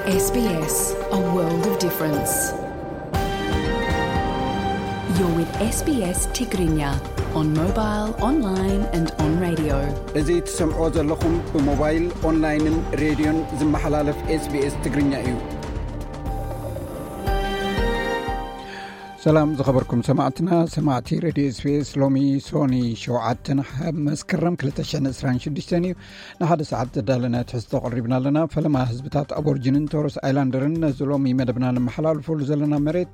S B S, a world of difference. You're with S B S Tigrinya on mobile, online and on radio. እዚ ትሰምዕዎ ዘለኹም ብሞባይል፣ ኦንላይንን ሬድዮን ዝመሓላለፍ SBS ትግርኛ እዩ። ሰላም ዝኸበርኩም ሰማዕትና፣ ሰማዕቲ ሬድዮ SBS። ሎሚ ሶኒ ሸውዓተ መስከረም ክልተ ሽሕን ዕስራን ሽዱሽተን እዩ። ንሓደ ሰዓት ዘዳለና ትሕዝቶ ኣቕሪብና ኣለና። ፈለማ ህዝብታት ኣቦርጅንን ቶረስ ኣይላንደርን ነዚ ሎሚ መደብና ንመሓላልፈሉ ዘለና መሬት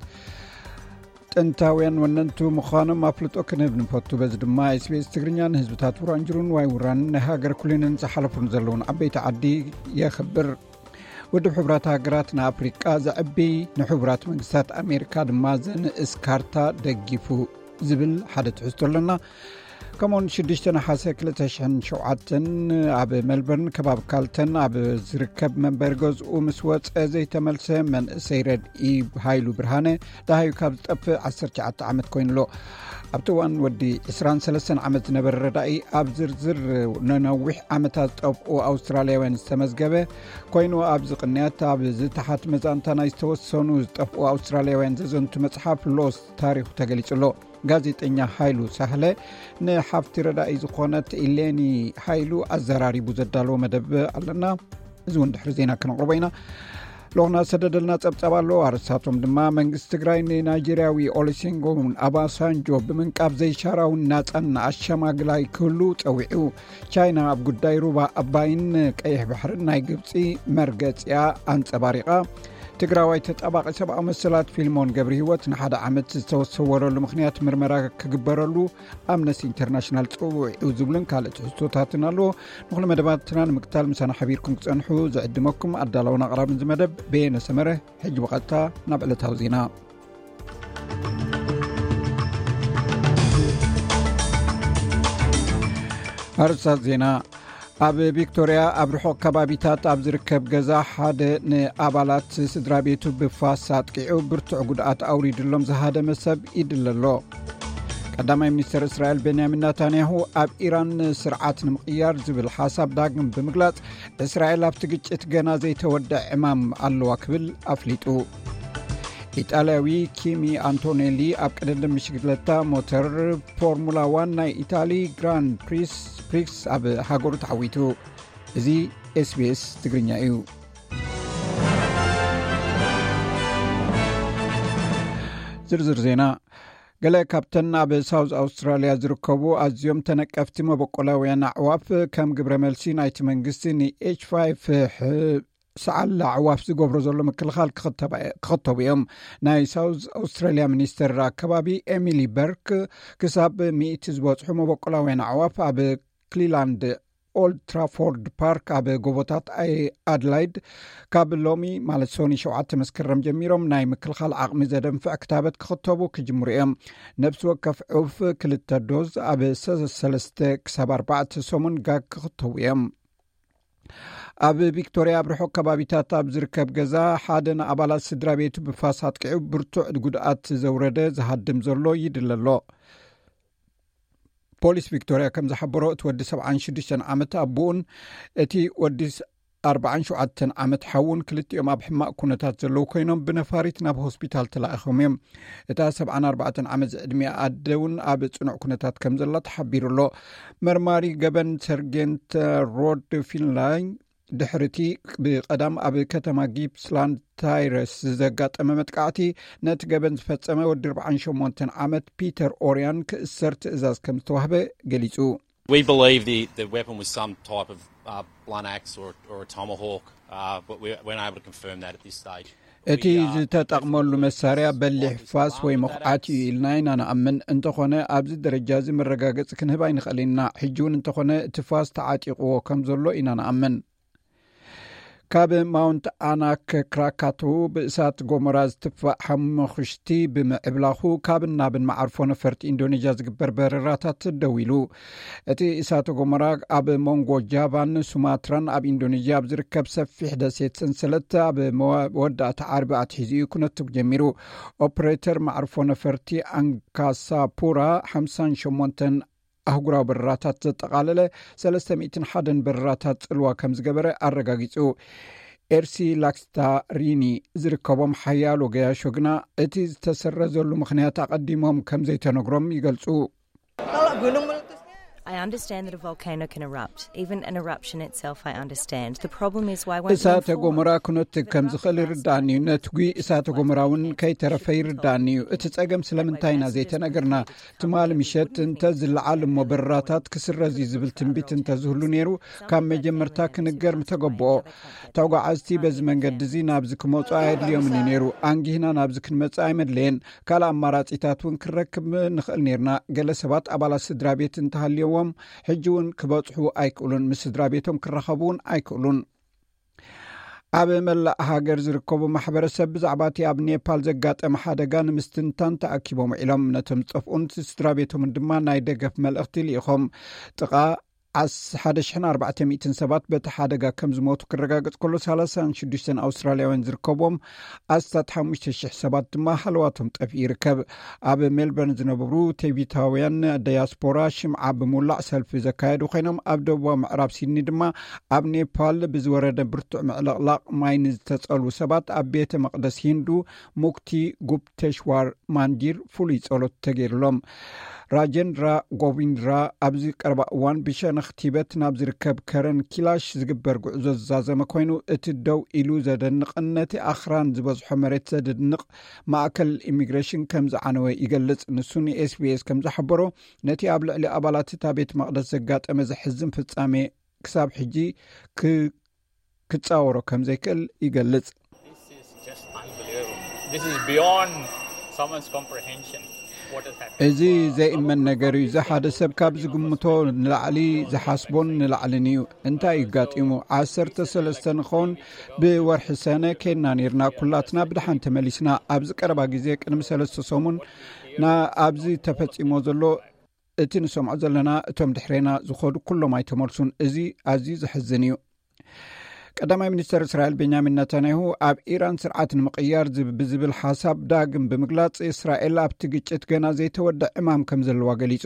ጥንታውያን ወነንቱ ምዃኖም ኣፍልጦ ክንህብ ንፈቱ። በዚ ድማ SBS ትግርኛ ንህዝብታት ውራንጅሩን ዋይ ውራን ናይ ሃገር ኩሊንን ዝሓለፉን ዘለውን ዓበይቲ ዓዲ የኽብር። ውድብ ሕቡራት ሃገራት ንኣፍሪቃ ዘዕቢ፣ ንሕቡራት መንግስታት ኣሜሪካ ድማ ዘንእስ ካርታ ደጊፉ ዝብል ሓደ ትሕዝቶ ኣለና። ከምኡውን ሽዱሽተ ነሓሰ ክልተ ሽሕን ሸውዓተን ኣብ ሜልበርን ከባቢ ካልተን ኣብ ዝርከብ መንበሪ ገዝኡ ምስ ወፀ ዘይተመልሰ መንእሰይ ረድኢ ሃይሉ ብርሃነ ደሃዩ ካብ ዝጠፍእ ዓሰርተ ትሽዓተ ዓመት ኮይኑ ኣሎ። ኣብቲ እዋን ወዲ ዕስራን ሰለስተን ዓመት ዝነበረ ረዳኢ ኣብ ዝርዝር ንነዊሕ ዓመታት ዝጠፍኡ ኣውስትራልያውያን ዝተመዝገበ ኮይኑ፣ ኣብዚ ቅንያት ኣብ ዝተሓት መዛንታ ናይ ዝተወሰኑ ዝጠፍኡ ኣውስትራልያውያን ዘዘንቱ መጽሓፍ ሎስት ታሪኹ ተገሊጹ ኣሎ። ጋዜጠኛ ሃይሉ ሳህለ ንሓፍቲ ረዳኢ ዝኾነት ኢሌኒ ሃይሉ ኣዘራሪቡ ዘዳለዎ መደብ ኣለና። እዚ እውን ድሕሪ ዜና ክነቕርቦ ኢና። ሎኽና ሰደደልና ጸብጻብ ኣሎ። ኣርእስታቶም ድማ፣ መንግስቲ ትግራይ ንናይጀርያዊ ኦሉሴጉን ኣባሳንጆ ብምንቃብ ዘይሻራውን ናጻን ኣሸማግላይ ክህሉ ጸዊዑ። ቻይና ኣብ ጉዳይ ሩባ ኣባይን ቀይሕ ባሕርን ናይ ግብጺ መርገጺኣ ኣንጸባሪቓ። ትግራዋይ ተጣባቒ ሰብኣዊ መሰላት ፊልሞን ገብረ ህይወት ንሓደ ዓመት ዝተሰወረሉ ምኽንያት ምርመራ ክግበረሉ ኣምነስቲ ኢንተርናሽናል ጸዊዑ ዝብልን ካልእ ትሕዝቶታትን ኣለዎ። ንኹሉ መደባትና ንምክታል ምሳና ሓቢርኩም ክጸንሑ ዝዕድመኩም ኣዳላውን ኣቕራብን እዚ መደብ በየነ ሰመረ። ሕጂ ብቐጥታ ናብ ዕለታዊ ዜና። ኣርእስታት ዜና። ኣብ ቪክቶርያ ኣብ ርሑቕ ከባቢታት ኣብ ዝርከብ ገዛ ሓደ ንኣባላት ስድራ ቤቱ ብፋስ ኣጥቂዑ ብርቱዕ ጉድኣት ኣውሪድሎም ዝሃደመ ሰብ ይድለ ኣሎ። ቀዳማይ ሚኒስተር እስራኤል ቤንያሚን ናታንያሁ ኣብ ኢራን ስርዓት ንምቕያር ዝብል ሓሳብ ዳግም ብምግላጽ፣ እስራኤል ኣብቲ ግጭት ገና ዘይተወድአ ዕማም ኣለዋ ክብል ኣፍሊጡ። ኢጣልያዊ ኪሚ ኣንቶኔሊ ኣብ ቅድድም ብሽክለታ ሞተር ፎርሙላ ዋን ናይ ኢታሊ ግራንድ ፕሪስ ፕሪክስ ኣብ ሃገሩ ተዓዊቱ። እዚ SBS ትግርኛ እዩ። ዝርዝር ዜና። ገለ ካብተን ኣብ ሳውዝ ኣውስትራልያ ዝርከቡ ኣዝዮም ተነቀፍቲ መበቆላውያን ኣዕዋፍ ከም ግብረ መልሲ ናይቲ መንግስቲ ንኤች ፋይቭ ሰዓል ኣዕዋፍ ዝገብሮ ዘሎ ምክልኻል ክኽተባ-፣ ክኽተቡ እዮም። ናይ ሳውዝ ኣውስትራልያ ሚኒስተር ኣከባቢ ኤሚሊ በርክ፣ ክሳብ ሚእቲ ዝበጽሑ መበቆላውያን ኣዕዋፍ ኣብ ክሊላንድ ኦልድ ትራፎርድ ፓርክ ኣብ ጎቦታት ኣይ-፣ ኣድላይድ ካብ ሎሚ ማለት ሶኒ ሸውዓተ መስከረም ጀሚሮም ናይ ምክልኻል ዓቕሚ ዘደንፍዕ ክታበት ክኽተቡ ክጅምሩ እዮም። ነፍሲ ወከፍ ዑፍ ክልተ ዶዝ ኣብ ሰ-፣ ሰለስተ ክሳብ ኣርባዕተ ሰሙን ጋግ ክኽተቡ እዮም። ኣብ ቪክቶርያ ኣብ ርሑቕ ከባቢታት ኣብ ዝርከብ ገዛ ሓደ ንኣባላት ስድራ ቤቱ ብፋስ ኣጥቂዑ ብርቱዕ ጉድኣት ዘውረደ ዝሃድም ዘሎ ይድለ ኣሎ። ፖሊስ ቪክቶርያ ከም ዝሓበሮ፣ እቲ ወዲ ሰብዓን ሽዱሽተን ዓመት ኣቦኡን እቲ ወዲ ኣርባዓን ሸውዓተን ዓመት ሓውን ክልቲኦም ኣብ ሕማቕ ኩነታት ዘለዉ ኮይኖም ብነፋሪት ናብ ሆስፒታል ተላኢኾም እዮም። እታ ሰብዓን ኣርባዕተን ዓመት ዝዕድሚኣ ኣደ እውን ኣብ ጽኑዕ ኩነታት ከም ዘላ ተሓቢሩ ኣሎ። መርማሪ ገበን ሰርጌንት ሮድ ፊንላይ ድሕርቲ ብቐዳም ኣብ ከተማ ጊፕስላንድ ታይረስ ዘጋጠመ መጥቃዕቲ፣ ነቲ ገበን ዝፈጸመ ወዲ ኣርባዓን ሸሞንተን ዓመት ፒተር ኦርያን ክእሰር ትእዛዝ ከም ዝተዋህበ ገሊጹ። We believe the, the weapon was some type of uh, blunt axe or, or a tomahawk, uh, but we, we're not able to confirm that at this stage. እቲ ዝተጠቕመሉ መሳርያ በሊሕ ፋስ ወይ መኹዓት እዩ ኢልና ኢና ንኣምን። እንተኾነ ኣብዚ ደረጃ እዚ መረጋገጺ ክንህብ ኣይንኽእልን ኢና። ሕጂ እውን እንተኾነ እቲ ፋስ ተዓጢቕዎ ከም ዘሎ ኢና ንኣምን። ካብ ማውንት ኣናክ ክራካቱ ብእሳት ጎመራ ዝትፋእ ሓሙኽሽቲ ብምዕብላኹ፣ ካብን ናብን መዓርፎ ነፈርቲ ኢንዶኔዥያ ዝግበር በረራታት ደው ኢሉ። እቲ እሳተ ጎመራ ኣብ መንጎ ጃቫን ሱማትራን ኣብ ኢንዶኔዥያ ኣብ ዝርከብ ሰፊሕ ደሴት ሰንሰለት ኣብ መወዳእታ ዓርቢ ኣትሒዙ እዩ ክነቱ ጀሚሩ። ኦፕሬተር መዓርፎ ነፈርቲ ኣንካሳፑራ ሓምሳን ሸሞንተን ኣህጉራዊ በረራታት ዘጠቓለለ ሰለስተ ሚእትን ሓደን በረራታት ጽልዋ ከም ዝገበረ ኣረጋጊጹ። ኤርሲ ላክስታሪኒ ዝርከቦም ሓያሎ ገያሾ ግና እቲ ዝተሰረዘሉ ምኽንያት ኣቐዲሞም ከም ዘይተነግሮም ይገልጹ። I understand that a volcano can erupt. Even an eruption itself, I understand. The problem is why won't እሳተ ጎመራ ክነትግ ከም ዝኽእል ይርዳእኒ እዩ። ነትጒ እሳተ ጎመራ እውን ከይተረፈ ይርዳእኒ እዩ። እቲ ጸገም ስለምንታይ ኢና ዘይተነገርና? ትማሊ ምሸት እንተ ዝለዓል እሞ በረራታት ክስረዝ እዩ ዝብል ትንቢት እንተ ዝህሉ ነይሩ፣ ካብ መጀመርታ ክንገር ምተገበኦ። ተጓዓዝቲ በዚ መንገዲ እዚ ናብዚ ክመጹ ኣየድልዮምን እዩ ነይሩ። ኣንጊህና ናብዚ ክንመጽእ ኣይመድለየን። ካልእ ኣማራጺታት እውን ክንረክብ ንኽእል ነይርና። ገለ ሰባት ኣባላት ስድራ ቤት እንተሃልየዎም ሕጂ እውን ክበጽሑ ኣይክእሉን፣ ምስ ስድራ ቤቶም ክራኸቡ እውን ኣይክእሉን። ኣብ መላእ ሃገር ዝርከቡ ማሕበረሰብ ብዛዕባ እቲ ኣብ ኔፓል ዘጋጠመ ሓደጋ ንምስትንታን ተኣኪቦም ውዒሎም። ነቶም ዝጠፍኡን ስድራ ቤቶምን ድማ ናይ ደገፍ መልእኽቲ ልኢኾም። ጥቓ ዓስ- ሓደ ሽሕን ኣርባዕተ ሚእትን ሰባት በቲ ሓደጋ ከም ዝሞቱ ክረጋገጽ ከሎ፣ ሰላሳን ሽዱሽተን ኣውስትራልያውያን ዝርከብዎም ኣስታት ሓሙሽተ ሽሕ ሰባት ድማ ሃለዋቶም ጠፊኡ ይርከብ። ኣብ ሜልበርን ዝነብሩ ቴቪታውያን ዳያስፖራ ሽምዓ ብምውላዕ ሰልፊ ዘካየዱ ኮይኖም፣ ኣብ ደቡባዊ ምዕራብ ሲድኒ ድማ ኣብ ኔፓል ብዝወረደ ብርቱዕ ምዕልቕላቕ ማይ ንዝተጸልዉ ሰባት ኣብ ቤተ መቕደስ ሂንዱ ሙክቲ ጉፕቴሽዋር ማንዲር ፍሉይ ጸሎት ተገይሩሎም። ራጀንድራ ጎቪንድራ ኣብዚ ቀረባ እዋን ብሸነኽ ቲበት ናብ ዝርከብ ከረን ኪላሽ ዝግበር ጉዕዞ ዝዛዘመ ኮይኑ፣ እቲ ደው ኢሉ ዘደንቕን ነቲ ኣኽራን ዝበዝሖ መሬት ዘደንቕ ማእከል ኢሚግሬሽን ከም ዝዓነወ ይገልጽ። ንሱ ንኤስቢኤስ ከም ዝሓበሮ፣ ነቲ ኣብ ልዕሊ ኣባላት እታ ቤት መቕደስ ዘጋጠመ ዘሕዝን ፍጻሜ ክሳብ ሕጂ ክ- ክጻወሮ ከም ዘይክእል ይገልጽ። This is just unbelievable. This is beyond someone's comprehension. What has happened? እዚ ዘይእመን ነገር እዩ። እዚ ሓደ ሰብ ካብ ዝግምቶ ንላዕሊ፣ ዝሓስቦን ንላዕልን እዩ። እንታይ እዩ ኣጋጢሙ? ዓሰርተ ሰለስተ ንኸውን ብወርሒ ሰነ ኬድና ነይርና። ኩላትና ብድሓን ተመሊስና። ኣብዚ ቀረባ ግዜ ቅድሚ ሰለስተ ሰሙን ና ኣብዚ ተፈጺሞ ዘሎ እቲ ንሰምዖ ዘለና፣ እቶም ድሕሬና ዝኸዱ ኩሎም ኣይተመልሱን። እዚ ኣዝዩ ዘሕዝን እዩ። ቀዳማይ ሚኒስተር እስራኤል ቤንያሚን ነታንያሁ ኣብ ኢራን ስርዓት ንምቕያር ዝብ- ብዝብል ሓሳብ ዳግም ብምግላጽ፣ እስራኤል ኣብቲ ግጭት ገና ዘይተወድአ ዕማም ከም ዘለዋ ገሊጹ።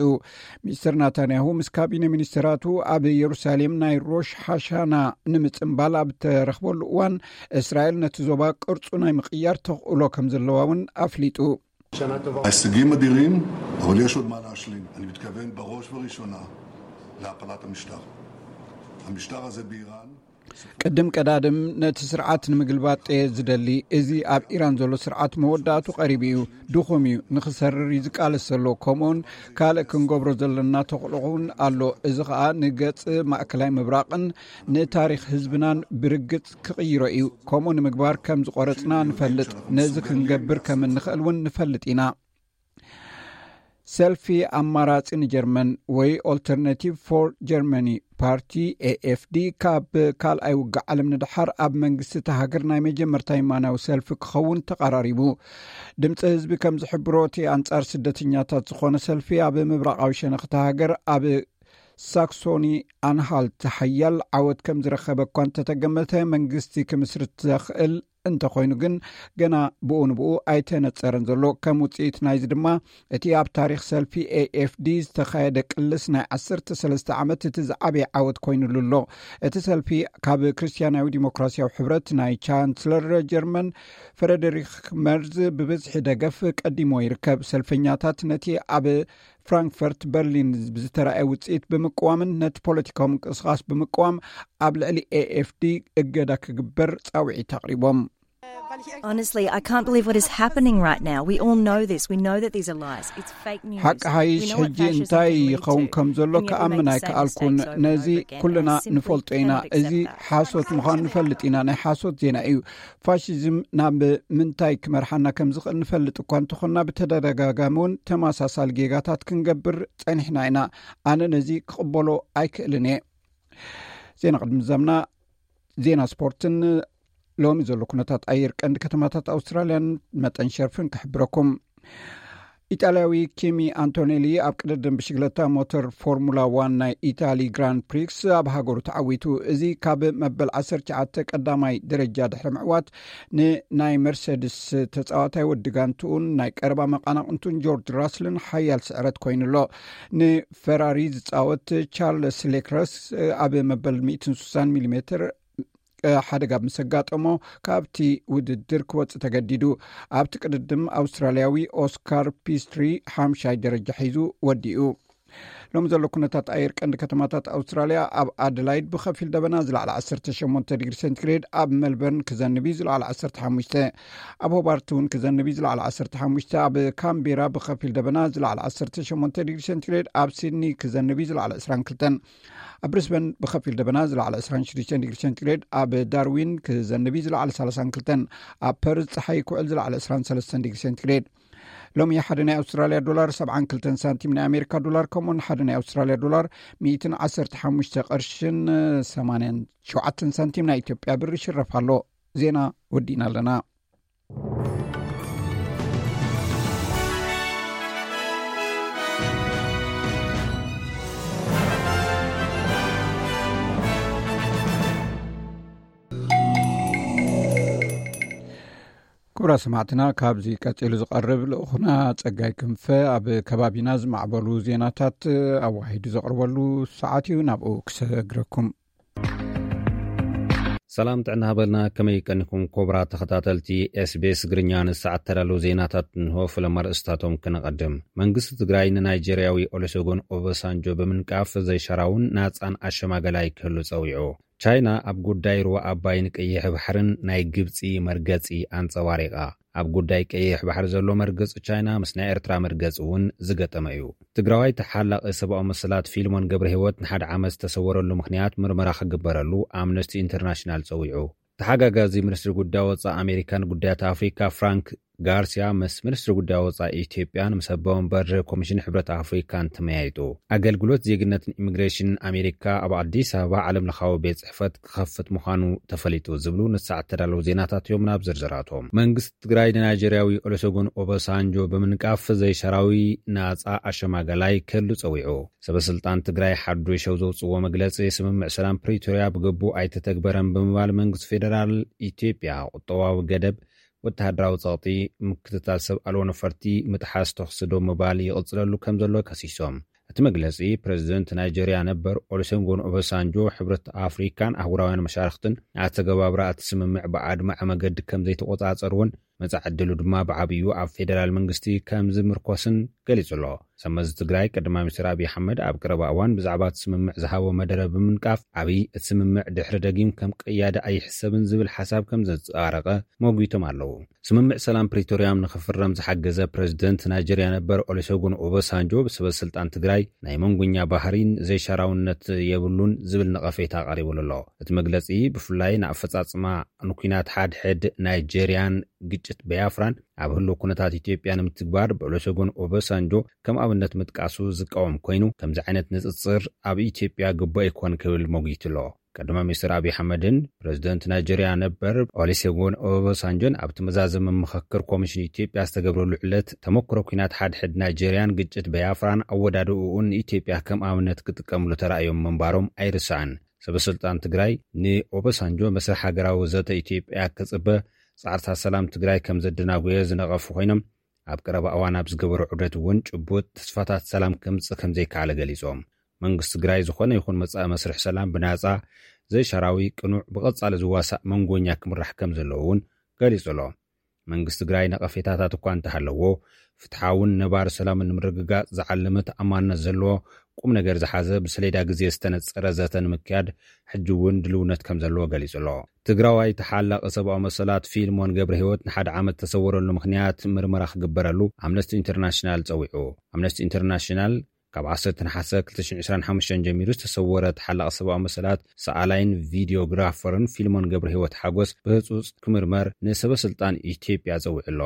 ሚኒስተር ናታንያሁ ምስ ካቢነ ሚኒስተራቱ ኣብ የሩሳሌም ናይ ሮሽ ሓሻና ንምጽንባል ኣብ ተረኽበሉ እዋን፣ እስራኤል ነቲ ዞባ ቅርጹ ናይ ምቕያር ተኽእሎ ከም ዘለዋ እውን ኣፍሊጡ። ההישגים אדירים, אבל יש עוד מה להשלים. אני מתכוון בראש ובראשונה להפלת המשטר. המשטר הזה באיראן ቅድም ቀዳድም ነቲ ስርዓት ንምግልባጥ እየ ዝደሊ። እዚ ኣብ ኢራን ዘሎ ስርዓት መወዳእቱ ቀሪቡ እዩ፣ ድኹም እዩ፣ ንኽሰርር እዩ ዝቃለስ ዘሎ። ከምኡውን ካልእ ክንገብሮ ዘለና ተኽእሎ እውን ኣሎ። እዚ ኸኣ ንገጽ ማእከላይ ምብራቕን ንታሪኽ ህዝብናን ብርግጽ ክቕይሮ እዩ። ከምኡ ንምግባር ከም ዝቖረጽና ንፈልጥ። ነዚ ክንገብር ከም እንኽእል እውን ንፈልጥ ኢና። ሰልፊ ኣማራጺ ንጀርመን ወይ ኦልተርናቲቭ ፎር ጀርመኒ ፓርቲ ኤኤፍዲ ካብ ካልኣይ ውግእ ዓለም ንድሓር ኣብ መንግስቲ እታ ሃገር ናይ መጀመርታ የማናዊ ሰልፊ ክኸውን ተቐራሪቡ። ድምፂ ህዝቢ ከም ዝሕብሮ፣ እቲ ኣንጻር ስደተኛታት ዝኾነ ሰልፊ ኣብ ምብራቓዊ ሸነኽ እታ ሃገር ኣብ ሳክሶኒ ኣንሃልት ሓያል ዓወት ከም ዝረኸበ እኳ እንተተገመተ፣ መንግስቲ ክምስርት ዘኽእል እንተኾይኑ ግን ገና ብኡ ንብኡ ኣይተነጸረን ዘሎ። ከም ውጽኢት ናይዚ ድማ እቲ ኣብ ታሪኽ ሰልፊ ኤኤፍዲ ዝተኻየደ ቅልስ ናይ ዓሰርተ ሰለስተ ዓመት እቲ ዝዓበየ ዓወት ኮይኑሉ ኣሎ። እቲ ሰልፊ ካብ ክርስትያናዊ ዲሞክራሲያዊ ሕብረት ናይ ቻንስለር ጀርመን ፍረደሪክ መርዝ ብብዝሒ ደገፍ ቀዲሞ ይርከብ። ሰልፈኛታት ነቲ ኣብ ፍራንክፈርት በርሊን ብዝተራእየ ውጽኢት ብምቅዋምን ነቲ ፖለቲካዊ ምንቅስቓስ ብምቅዋም ኣብ ልዕሊ ኤኤፍዲ እገዳ ክግበር ጻውዒት ኣቕሪቦም። Honestly, I can't believe what is happening right now. We all know this. We know that these are lies. It's fake news. ሓቂ ሓይሽ ሕጂ እንታይ ይኸውን ከም ዘሎ ክኣምን ኣይከኣልኩን። ነዚ ኩልና ንፈልጦ ኢና። እዚ ሓሶት ምዃኑ ንፈልጥ ኢና። ናይ ሓሶት ዜና እዩ። ፋሽዝም ናብ ምንታይ ክመርሓና ከም ዝኽእል ንፈልጥ እኳ እንተኾንና፣ ብተደጋጋሚ እውን ተመሳሳሊ ጌጋታት ክንገብር ጸኒሕና ኢና። ኣነ ነዚ ክቕበሎ ኣይክእልን እየ። ዜና ቅድሚ ዘምና ዜና ስፖርትን ሎሚ ዘሎ ኩነታት ኣየር ቀንዲ ከተማታት ኣውስትራልያን መጠን ሸርፍን ክሕብረኩም። ኢጣልያዊ ኪሚ ኣንቶኔሊ ኣብ ቅድድም ብሽግለታ ሞተር ፎርሙላ ዋን ናይ ኢታሊ ግራንድ ፕሪክስ ኣብ ሃገሩ ተዓዊቱ። እዚ ካብ መበል ዓሰርተ ትሽዓተ ቀዳማይ ደረጃ ድሕሪ ምዕዋት ንናይ መርሰድስ ተጻዋታይ ወዲ ጋንትኡን ናይ ቀረባ መቃናቕንቱን ጆርጅ ራስልን ሓያል ስዕረት ኮይኑ ኣሎ። ንፈራሪ ዝጻወት ቻርልስ ሌክረስ ኣብ መበል ሚእትን ስሳን ሚሊሜትር ሓደጋ ምስ ኣጋጠሞ፣ ካብቲ ውድድር ክወጽእ ተገዲዱ። ኣብቲ ቅድድም ኣውስትራልያዊ ኦስካር ፒስትሪ ሓምሻይ ደረጃ ሒዙ ወዲኡ። ሎም ዘሎ ኩነታት ኣየር ቀንዲ ከተማታት ኣውስትራልያ። ኣብ ኣደላይድ ብኸፊል ደበና፣ ዝለዓለ ዓሰርተ ሸሞንተ ዲግሪ ሴንቲግሬድ። ኣብ ሜልበርን ክዘንብ እዩ፣ ዝለዓለ ዓሰርተ ሓሙሽተ። ኣብ ሆባርት እውን ክዘንብ እዩ፣ ዝለዓለ ዓሰርተ ሓሙሽተ። ኣብ ካምቤራ ብኸፊል ደበና፣ ዝለዓለ ዓሰርተ ሸሞንተ ዲግሪ ሴንቲግሬድ። ኣብ ሲድኒ ክዘንብ እዩ፣ ዝለዓለ ዕስራን ክልተን። ኣብ ብሪስበን ብኸፊል ደበና፣ ዝለዓለ ዕስራን ሽዱሽተን ዲግሪ ሴንቲግሬድ። ኣብ ዳርዊን ክዘንብ እዩ፣ ዝለዓለ ሰላሳን ክልተን። ኣብ ፐርዝ ጸሓይ ክውዕል፣ ዝለዓለ ዕስራን ሰለስተን ዲግሪ ሴንቲግሬድ። ሎሚ ሓደ ናይ ኣውስትራልያ ዶላር ሰብዓን ክልተን ሳንቲም፣ ናይ ኣሜሪካ ዶላር ከምኡውን ሓደ ናይ ኣውስትራልያ ዶላር ሚእትን ዓሰርተ ሓሙሽተ ቅርሽን ሰማንያን ሸውዓተን ሳንቲም ናይ ኢትዮጵያ ብር ይሽረፍ ኣሎ። ዜና ወዲእና ኣለና። ክቡራት ሰማዕትና፣ ካብዚ ቀጺሉ ዝቐርብ ልኡኹና ጸጋይ ክንፈ ኣብ ከባቢና ዝማዕበሉ ዜናታት ኣዋሂዱ ዘቕርበሉ ሰዓት እዩ። ናብኡ ክሰግረኩም። ሰላም ጥዕና ሃበልና። ከመይ ቀኒኩም ክቡራት ተኸታተልቲ ኤስቢኤስ ትግርኛ? ንሰዓት ተዳለዉ ዜናታት እንሆ። ፍለም ኣርእስታቶም ክነቐድም። መንግስቲ ትግራይ ንናይጄርያዊ ኦሉሴጉን ኦባሳንጆ ብምንቃፍ ዘይሻራውን ናጻን ኣሸማገላይ ክህሉ ጸዊዑ። ቻይና ኣብ ጉዳይ ሩባ ኣባይን ቀይሕ ባሕርን ናይ ግብጺ መርገጺ ኣንጸባሪቓ። ኣብ ጉዳይ ቀይሕ ባሕሪ ዘሎ መርገጺ ቻይና ምስ ናይ ኤርትራ መርገጺ እውን ዝገጠመ እዩ። ትግራዋይ ተሓላቒ ሰብኣዊ መሰላት ፊልሞን ገብረ ህይወት ንሓደ ዓመት ዝተሰወረሉ ምኽንያት ምርመራ ክግበረሉ ኣምነስቲ ኢንተርናሽናል ጸዊዑ። ተሓጋጋዚ ሚኒስትሪ ጉዳይ ወጻኢ ኣሜሪካን ጉዳያት ኣፍሪካ ፍራንክ ጋርሲያ ምስ ሚኒስትሪ ጉዳይ ወጻኢ ኢትዮጵያን ምስ ኣቦ ወንበር ኮሚሽን ሕብረት ኣፍሪካን ተመያይጡ። ኣገልግሎት ዜግነትን ኢሚግሬሽንን ኣሜሪካ ኣብ ኣዲስ ኣበባ ዓለም ለኻዊ ቤት ጽሕፈት ክኸፍት ምዃኑ ተፈሊጡ ዝብሉ ንሰዓት ተዳለዉ ዜናታት እዮም። ናብ ዝርዝራቶም። መንግስቲ ትግራይ ንናይጀርያዊ ኦሉሴጉን ኦባሳንጆ ብምንቃፍ ዘይሻራዊ ናጻ ኣሸማጋላይ ክህሉ ጸዊዑ። ሰበስልጣን ትግራይ ሓዱሽ ኣብ ዘውፅዎ መግለፂ፣ ስምምዕ ሰላም ፕሪቶርያ ብግቡእ ኣይተተግበረን ብምባል መንግስቲ ፌደራል ኢትዮጵያ ቁጠባዊ ገደብ፣ ወተሃደራዊ ጸቕጢ፣ ምክትታል ሰብ ኣልቦ ነፈርቲ፣ ምጥሓስ ተኹሲ ደው ምባል ይቕጽለሉ ከም ዘሎ ከሲሶም። እቲ መግለጺ፣ ፕረዚደንት ናይጀርያ ነበር ኦሉሴጉን ኦባሳንጆ፣ ሕብረት ኣፍሪካን ኣህጉራውያን መሻርኽትን ኣተገባብራ እቲ ስምምዕ ብኣድማዒ መገዲ ከም ዘይተቆጻጸርዎን መጻኢ ዕድሉ ድማ ብዓብዩ ኣብ ፌደራል መንግስቲ ከም ዝምርኮስን ገሊጹ ኣሎ። ሰመዚ ትግራይ ቀዳማይ ሚኒስትር ኣብይ ኣሕመድ ኣብ ቀረባ እዋን ብዛዕባ እቲ ስምምዕ ዝሃቦ መደረ ብምንቃፍ፣ ኣብይ እቲ ስምምዕ ድሕሪ ደጊም ከም ቀያዲ ኣይሕሰብን ዝብል ሓሳብ ከም ዘንጸባረቐ መጒቶም ኣለዉ። ስምምዕ ሰላም ፕሪቶርያ ንኽፍረም ዝሓገዘ ፕረዚደንት ናይጀርያ ነበር ኦሉሴጉን ኦባሳንጆ ብሰበ ስልጣን ትግራይ ናይ መንጎኛ ባህሪን ዘይሻራውነት የብሉን ዝብል ነቐፌታ ቀሪቡሉ ኣሎ። እቲ መግለጺ ብፍላይ ንኣፈጻጽማ ንኲናት ሓድሕድ ናይጀርያን ግጭት በያፍራን ኣብ ህልው ኩነታት ኢትዮጵያ ንምትግባር ብኦሉሴጉን ኦባሳንጆ ከም ኣብነት ምጥቃሱ ዝቃወም ኮይኑ፣ ከምዚ ዓይነት ንጽጽር ኣብ ኢትዮጵያ ግቡእ ኣይኮን ክብል መጒቱ ኣሎ። ቀዳማይ ሚኒስትር ኣብይ ኣሕመድን ፕረዚደንት ናይጀርያ ነበር ኦሉሴጉን ኦባሳንጆን ኣብቲ መዛዘሚ ምኽክር ኮሚሽን ኢትዮጵያ ዝተገብረሉ ዕለት፣ ተመክሮ ኲናት ሓድሕድ ናይጀርያን ግጭት በያፍራን ኣወዳድእኡን ንኢትዮጵያ ከም ኣብነት ክጥቀምሉ ተራእዮም ምንባሮም ኣይርሳዕን። ሰበስልጣን ትግራይ ንኦባሳንጆ መስርሕ ሃገራዊ ዘተ ኢትዮጵያ ክጽበ፣ ጻዕርታት ሰላም ትግራይ ከም ዘደናጎየ ዝነቐፉ ኮይኖም፣ ኣብ ቀረባ እዋን ኣብ ዝገበሮ ዑደት እውን ጭቡጥ ተስፋታት ሰላም ከምጽእ ከም ዘይከኣለ ገሊጾም። መንግስቲ ትግራይ ዝኾነ ይኹን መጻኢ መስርሕ ሰላም ብናጻ፣ ዘይሻራዊ፣ ቅኑዕ፣ ብቐጻሊ ዝዋሳእ መንጎኛ ክምራሕ ከም ዘለዎ እውን ገሊጹ ኣሎ። መንግስቲ ትግራይ ነቐፌታታት እኳ እንተሃለዎ፣ ፍትሓውን ነባሪ ሰላምን ንምርግጋጽ ዝዓለመ ተኣማንነት ዘለዎ ቁም ነገር ዝሓዘ ብሰሌዳ ግዜ ዝተነጸረ ዘተ ንምክያድ ሕጂ እውን ድልውነት ከም ዘለዎ ገሊጹ ኣሎ። ትግራዋይ ተሓላቒ ሰብኣዊ መሰላት ፊልሞን ገብረ ህይወት ንሓደ ዓመት ተሰወረሉ ምኽንያት ምርመራ ክግበረሉ ኣምነስቲ ኢንተርናሽናል ጸዊዑ። ኣምነስቲ ኢንተርናሽናል ካብ ዓሰርተ ነሓሰ ክልተ ሽሕን ዕስራን ሓሙሽተን ጀሚሩ ዝተሰወረ ተሓላቒ ሰብኣዊ መሰላት ሰኣላይን ቪዲዮግራፈርን ፊልሞን ገብረ ህይወት ሓጎስ ብህጹጽ ክምርመር ንሰበ ስልጣን ኢትዮጵያ ጸዊዑ ኣሎ።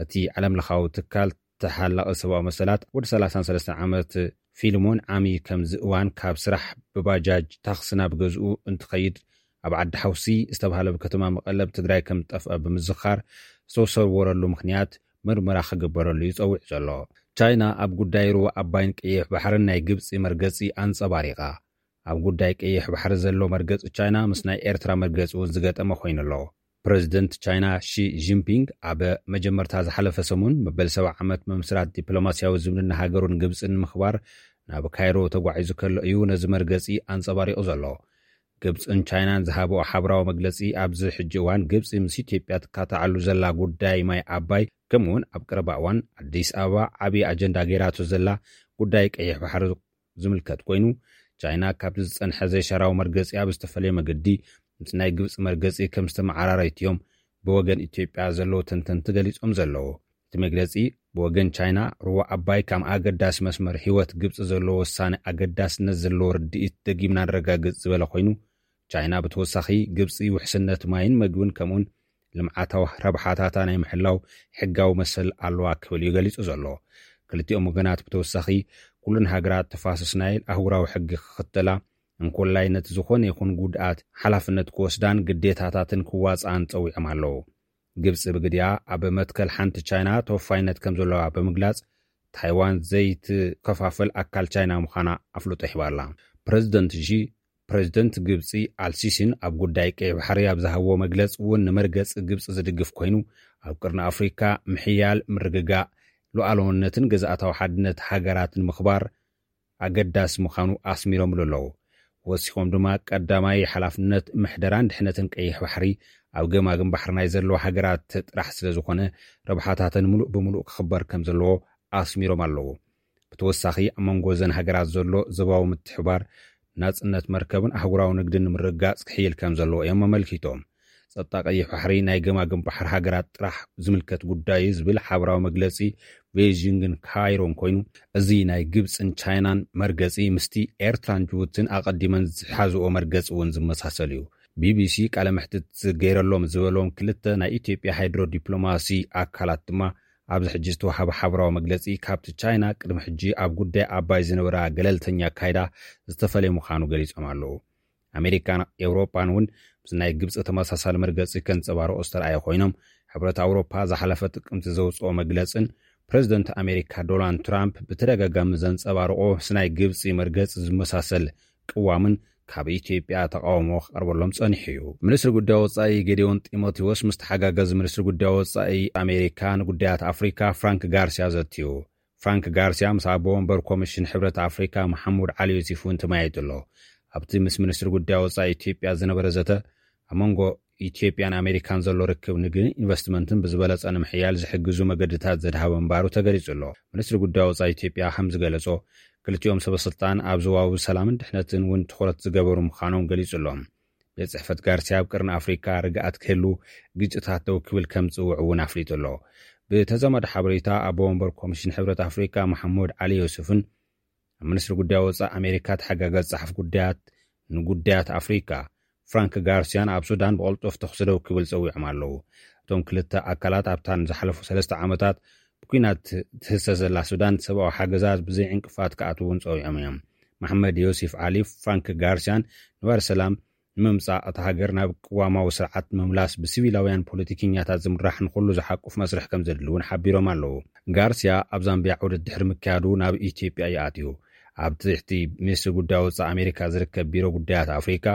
እቲ ዓለም ለኻዊ ትካል ተሓላቒ ሰብኣዊ መሰላት ወዲ ሰላሳን ሰለስተን ዓመት ፊልሞን ዓሚ ከምዚ እዋን ካብ ስራሕ ብባጃጅ ታክሲ ናብ ገዝኡ እንትኸይድ ኣብ ዓዲ ሓውሲ ዝተባህለ ኣብ ከተማ መቐለ ኣብ ትግራይ ከም ዝጠፍአ ብምዝኻር ዝተሰወረሉ ምኽንያት ምርመራ ክግበረሉ እዩ ጸዊዑ ዘሎ። ቻይና ኣብ ጉዳይ ሩባ ኣባይን ቀይሕ ባሕርን ናይ ግብጺ መርገጺ ኣንጸባሪቓ። ኣብ ጉዳይ ቀይሕ ባሕሪ ዘሎ መርገጺ ቻይና ምስ ናይ ኤርትራ መርገጺ እውን ዝገጠመ ኮይኑ ኣሎ። ፕረዚደንት ቻይና ሺ ጂንፒንግ ኣብ መጀመርታ ዝሓለፈ ሰሙን መበል ሰብዓ ዓመት ምምስራት ዲፕሎማስያዊ ዝምድና ሃገሩን ግብጽን ንምኽባር ናብ ካይሮ ተጓዒዙ ከሎ እዩ ነዚ መርገጺ ኣንጸባሪቑ ዘሎ። ግብፅን ቻይናን ዝሃብኦ ሓበራዊ መግለፂ፣ ኣብዚ ሕጂ እዋን ግብፂ ምስ ኢትዮጵያ ትካታዓሉ ዘላ ጉዳይ ማይ ኣባይ፣ ከምኡውን ኣብ ቀረባ እዋን ኣዲስ ኣበባ ዓብዪ ኣጀንዳ ገይራቶ ዘላ ጉዳይ ቀይሕ ባሕሪ ዝምልከት ኮይኑ፣ ቻይና ካብቲ ዝፀንሐ ዘይሻራዊ መርገፂ ኣብ ዝተፈለየ መገዲ ምስ ናይ ግብፂ መርገፂ ከም ዝተመዓራረይት እዮም ብወገን ኢትዮጵያ ዘለዉ ተንተንቲ ገሊጾም ዘለዉ። እቲ መግለጺ፣ ብወገን ቻይና ሩባ ኣባይ ከም ኣገዳሲ መስመር ህይወት ግብፂ ዘለዎ ውሳነ ኣገዳስነት ዘለዎ ርድኢት ደጊምና ነረጋግጽ ዝበለ ኮይኑ፣ ቻይና ብተወሳኺ ግብፂ ውሕስነት ማይን መግብን ከምኡን ልምዓታዊ ረብሓታታ ናይ ምሕላው ሕጋዊ መሰል ኣለዋ ክብል እዩ ገሊጹ ዘሎ። ክልቲኦም ወገናት ብተወሳኺ፣ ኩሉን ሃገራት ተፋሰስ ናይል ኣህጉራዊ ሕጊ ክኽተላ፣ እንኮላይ ነቲ ዝኾነ ይኹን ጉድኣት ሓላፍነት ክወስዳን ግዴታታትን ክዋፅኣን ጸዊዖም ኣለዉ። ግብፂ ብግዲኣ ኣብ መትከል ሓንቲ ቻይና ተወፋይነት ከም ዘለዋ ብምግላጽ፣ ታይዋን ዘይትከፋፈል ኣካል ቻይና ምዃና ኣፍልጦ ሂባ ኣላ። ፕረዚደንት ሺ፣ ፕረዚደንት ግብፂ ኣልሲሲን ኣብ ጉዳይ ቀይ ባሕሪ ኣብ ዝሃብዎ መግለፂ እውን ንመርገፂ ግብፂ ዝድግፍ ኮይኑ፣ ኣብ ቅርኒ ኣፍሪካ ምሕያል፣ ምርግጋእ፣ ሉዓላውነትን ግዝኣታዊ ሓድነት ሃገራትን ምኽባር ኣገዳሲ ምዃኑ ኣስሚሮምሉ ኣለዉ። ወሲኾም ድማ፣ ቀዳማይ ሓላፍነት ምሕደራን ድሕነትን ቀይሕ ባሕሪ ኣብ ገማግም ባሕሪ ናይ ዘለዋ ሃገራት ጥራሕ ስለ ዝኾነ፣ ረብሓታተን ምሉእ ብምሉእ ክኽበር ከም ዘለዎ ኣስሚሮም ኣለዉ። ብተወሳኺ፣ ኣብ መንጎ እዘን ሃገራት ዘሎ ዞባዊ ምትሕባር፣ ናጽነት መርከብን ኣህጉራዊ ንግድን ንምርግጋጽ ክሕይል ከም ዘለዎ እዮም ኣመልኪቶም። ጸጥታ ቀይሕ ባሕሪ ናይ ገማግም ባሕሪ ሃገራት ጥራሕ ዝምልከት ጉዳይ እዩ ዝብል ሓበራዊ መግለጺ ቤይጂንግን ካይሮን ኮይኑ፣ እዚ ናይ ግብጽን ቻይናን መርገጺ ምስቲ ኤርትራን ጅቡትን ኣቐዲመን ዝሓዝኦ መርገጺ እውን ዝመሳሰል እዩ። ቢቢሲ ቃለ መሕትት ገይረሎም ዝበሎም ክልተ ናይ ኢትዮጵያ ሃይድሮ ዲፕሎማሲ ኣካላት ድማ፣ ኣብዚ ሕጂ ዝተዋህበ ሓበራዊ መግለጺ፣ ካብቲ ቻይና ቅድሚ ሕጂ ኣብ ጉዳይ ኣባይ ዝነበራ ገለልተኛ ኣካይዳ ዝተፈለየ ምዃኑ ገሊጾም ኣለዉ። ኣሜሪካን ኤውሮጳን እውን ምስ ናይ ግብጺ ተመሳሳሊ መርገጺ ከንጸባርቑ ዝተረኣየ ኮይኖም፣ ሕብረት ኣውሮፓ ዝሓለፈ ጥቅምቲ ዘውጽኦ መግለጽን ፕረዚደንት ኣሜሪካ ዶናልድ ትራምፕ ብተደጋጋሚ ዘንጸባርቖ ምስ ናይ ግብጺ መርገጺ ዝመሳሰል ቅዋምን ካብ ኢትዮጵያ ተቃውሞ ክቐርበሎም ጸኒሑ እዩ። ሚኒስትሪ ጉዳይ ወጻኢ ጌዲዮን ጢሞቴዎስ ምስ ተሓጋጋዚ ሚኒስትሪ ጉዳይ ወጻኢ ኣሜሪካ ንጉዳያት ኣፍሪካ ፍራንክ ጋርሲያ ዘትዩ። ፍራንክ ጋርሲያ ምስ ኣቦ ወንበር ኮሚሽን ሕብረት ኣፍሪካ መሓሙድ ዓሊ ዮሲፍ እውን ተመያይጡ ኣሎ። ኣብቲ ምስ ሚኒስትሪ ጉዳይ ወጻኢ ኢትዮጵያ ዝነበረ ዘተ፣ ኣብ መንጎ ኢትዮጵያን ኣሜሪካን ዘሎ ርክብ ንግድን ኢንቨስትመንትን ብዝበለጸ ንምሕያል ዝሕግዙ መገድታት ዘድሃበ ምንባሩ ተገሊጹ ኣሎ። ሚኒስትሪ ጉዳይ ወጻኢ ኢትዮጵያ ከም ዝገለጾ፣ ክልቲኦም ሰበ ስልጣን ኣብ ዞባዊ ሰላምን ድሕነትን እውን ትኹረት ዝገበሩ ምዃኖም ገሊጹ ኣሎ። ቤት ጽሕፈት ጋርሲያ ኣብ ቅርኒ ኣፍሪካ ርግኣት ክህሉ፣ ግጭታት ደው ክብል ከም ዝጽውዕ እውን ኣፍሊጡ ኣሎ። ብተዛማዲ ሓበሬታ፣ ኣቦ ወንበር ኮሚሽን ሕብረት ኣፍሪካ መሓሙድ ዓሊ ዮሱፍን ኣብ ሚኒስትሪ ጉዳይ ወጻኢ ኣሜሪካ ተሓጋጋዚ ጸሓፊ ጉዳያት ንጉዳያት ኣፍሪካ ፍራንክ ጋርሲያን ኣብ ሱዳን ብቐልጡፍ ተኹሲ ደው ክብል ጸዊዖም ኣለዉ። እቶም ክልተ ኣካላት ኣብታን ዝሓለፉ ሰለስተ ዓመታት ብኲናት ትህሰ ዘላ ሱዳን ሰብኣዊ ሓገዛት ብዘይ ዕንቅፋት ክኣትዉ እውን ጸዊዖም እዮም። መሓመድ ዮሲፍ ዓሊ ፍራንክ ጋርሲያን ንባር ሰላም ንምምጻእ፣ እታ ሃገር ናብ ቅዋማዊ ስርዓት ምምላስ፣ ብሲቪላውያን ፖለቲከኛታት ዝምራሕ ንኹሉ ዝሓቁፍ መስርሕ ከም ዘድሊ እውን ሓቢሮም ኣለዉ። ጋርሲያ ኣብ ዛምቢያ ዑደት ድሕሪ ምክያዱ ናብ ኢትዮጵያ እዩ ኣትዩ። ኣብ ትሕቲ ሚኒስትሪ ጉዳይ ወጻኢ ኣሜሪካ ዝርከብ ቢሮ ጉዳያት ኣፍሪካ፣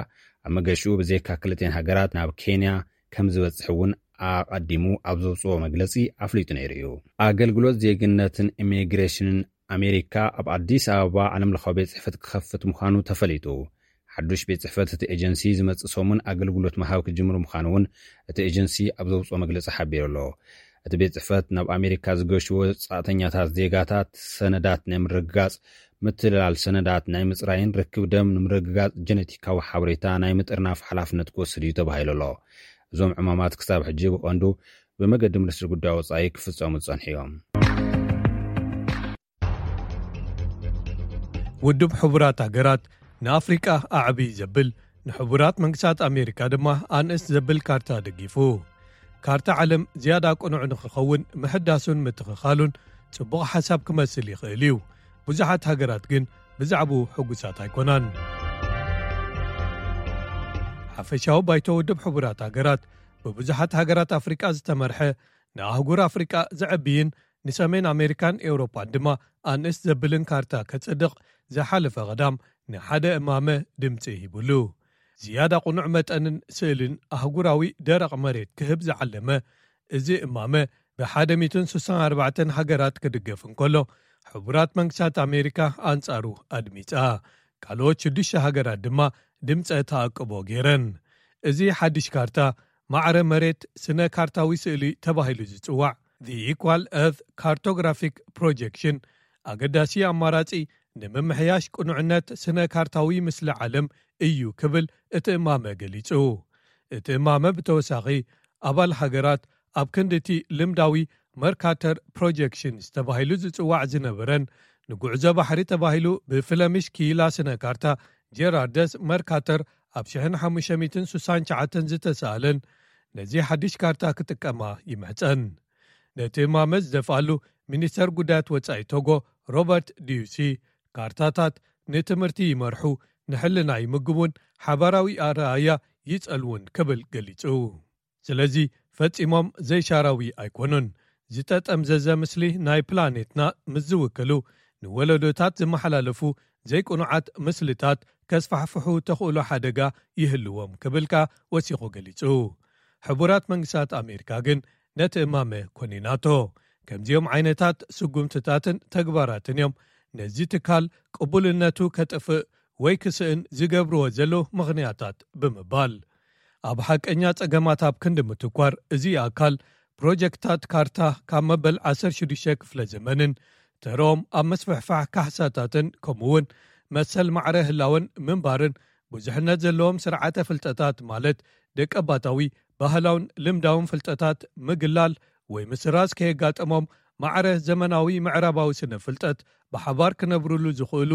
ኣብ መገሽኡ ብዘይካ ክልቴን ሃገራት ናብ ኬንያ ከም ዝበጽሕ እውን ኣቐዲሙ ኣብ ዘውጽኦ መግለጺ ኣፍሊጡ ነይሩ እዩ። ኣገልግሎት ዜግነትን ኢሚግሬሽንን ኣሜሪካ ኣብ ኣዲስ ኣበባ ዓለም ለኻዊ ቤት ጽሕፈት ክኸፍት ምዃኑ ተፈሊጡ። ሓዱሽ ቤት ጽሕፈት እቲ ኤጀንሲ ዝመጽእ ሰሙን ኣገልግሎት ምሃብ ክጅምር ምዃኑ እውን እቲ ኤጀንሲ ኣብ ዘውጽኦ መግለጺ ሓቢሩ ኣሎ። እቲ ቤት ጽሕፈት ናብ ኣሜሪካ ዝገሹ ወጻእተኛታት ዜጋታት ሰነዳት ናይ ምርግጋጽ፣ ምትልላል ሰነዳት ናይ ምጽራይን ርክብ ደም ንምርግጋጽ ጀነቲካዊ ሓበሬታ ናይ ምጥርናፍ ሓላፍነት ክወስድ እዩ ተባሂሉ ኣሎ። እዞም ዕማማት ክሳብ ሕጂ ብቐንዱ ብመገዲ ሚኒስትሪ ጉዳይ ወጻኢ ክፍጸሙ ዝጸንሑ እዮም። ውድብ ሕቡራት ሃገራት ንኣፍሪቃ ኣዕብይ ዘብል፣ ንሕቡራት መንግስታት ኣሜሪካ ድማ ኣንእስ ዘብል ካርታ ደጊፉ። ካርታ ዓለም ዝያዳ ቅኑዕ ንኽኸውን ምሕዳሱን ምትኽኻሉን ጽቡቕ ሓሳብ ክመስል ይኽእል እዩ። ብዙሓት ሃገራት ግን ብዛዕባኡ ሕጉሳት ኣይኮናን። ሓፈሻዊ ባይቶ ውድብ ሕቡራት ሃገራት ብብዙሓት ሃገራት ኣፍሪቃ ዝተመርሐ፣ ንኣህጉር ኣፍሪቃ ዘዕብይን ንሰሜን ኣሜሪካን ኤውሮጳን ድማ ኣንእስ ዘብልን ካርታ ከጽድቕ ዝሓለፈ ቀዳም ንሓደ እማመ ድምጺ ሂቡሉ። ዝያዳ ቅኑዕ መጠንን ስእልን ኣህጉራዊ ደረቕ መሬት ክህብ ዝዓለመ እዚ እማመ ብሓደ ሚእትን ስሳን ኣርባዕተን ሃገራት ክድገፍ እንከሎ፣ ሕቡራት መንግስታት ኣሜሪካ ኣንጻሩ ኣድሚጻ። ካልኦት ሽዱሽተ ሃገራት ድማ ድምፀ ተኣቅቦ ገይረን። እዚ ሓድሽ ካርታ ማዕረ መሬት ስነ ካርታዊ ስእሊ ተባሂሉ ዝፅዋዕ The Equal Earth Cartographic Projection ኣገዳሲ ኣማራፂ ንምምሕያሽ ቅኑዕነት ስነ ካርታዊ ምስሊ ዓለም እዩ ክብል እቲ እማመ ገሊፁ። እቲ እማመ ብተወሳኺ ኣባል ሃገራት ኣብ ክንድቲ ልምዳዊ መርካተር ፕሮጀክሽንስ ተባሂሉ ዝጽዋዕ ዝነበረን ንጉዕዞ ባሕሪ ተባሂሉ ብፍለሚሽ ክኢላ ስነ ካርታ ጀራርደስ መርካተር ኣብ ሽሕን ሓሙሽተ ሚእትን ስሳን ትሽዓተን ዝተሳእለን ነዚ ሓድሽ ካርታ ክጥቀማ ይምሕጸን። ነቲ እማመ ዝደፍኣሉ ሚኒስተር ጉዳያት ወጻኢ ቶጎ ሮበርት ዲዩሲ፣ ካርታታት ንትምህርቲ ይመርሑ፣ ንሕልና ይምግቡን ሓባራዊ ኣረኣያ ይጸልዉን ክብል ገሊጹ። ስለዚ ፈጺሞም ዘይሻራዊ ኣይኮኑን። ዝተጠምዘዘ ምስሊ ናይ ፕላኔትና ምስ ዝውክሉ ንወለዶታት ዝመሓላለፉ ዘይቅኑዓት ምስልታት ከስፋሕፍሑ ተኽእሎ ሓደጋ ይህልዎም ክብል ከኣ ወሲኹ ገሊጹ። ሕቡራት መንግስታት ኣሜሪካ ግን ነቲ እማመ ኮኒናቶ። ከምዚኦም ዓይነታት ስጉምትታትን ተግባራትን እዮም ነዚ ትካል ቅቡልነቱ ከጥፍእ ወይ ክስእን ዝገብርዎ ዘለዉ ምኽንያታት ብምባል፣ ኣብ ሓቀኛ ጸገማት ኣብ ክንዲ ምትኳር እዚ ኣካል ፕሮጀክታት ካርታ ካብ መበል ዓሰርተ ሽዱሽተ ክፍለ ዘመንን ተርኦም ኣብ ምስፍሕፋሕ ካሕሳታትን ከምኡውን መሰል ማዕረ ህላወን ምንባርን ብዙሕነት ዘለዎም ስርዓተ ፍልጠታት ማለት ደቀባታዊ ባህላውን ልምዳውን ፍልጠታት ምግላል ወይ ምስራዝ ከየጋጠሞም ማዕረ ዘመናዊ ምዕራባዊ ስነ ፍልጠት ብሓባር ክነብሩሉ ዝኽእሉ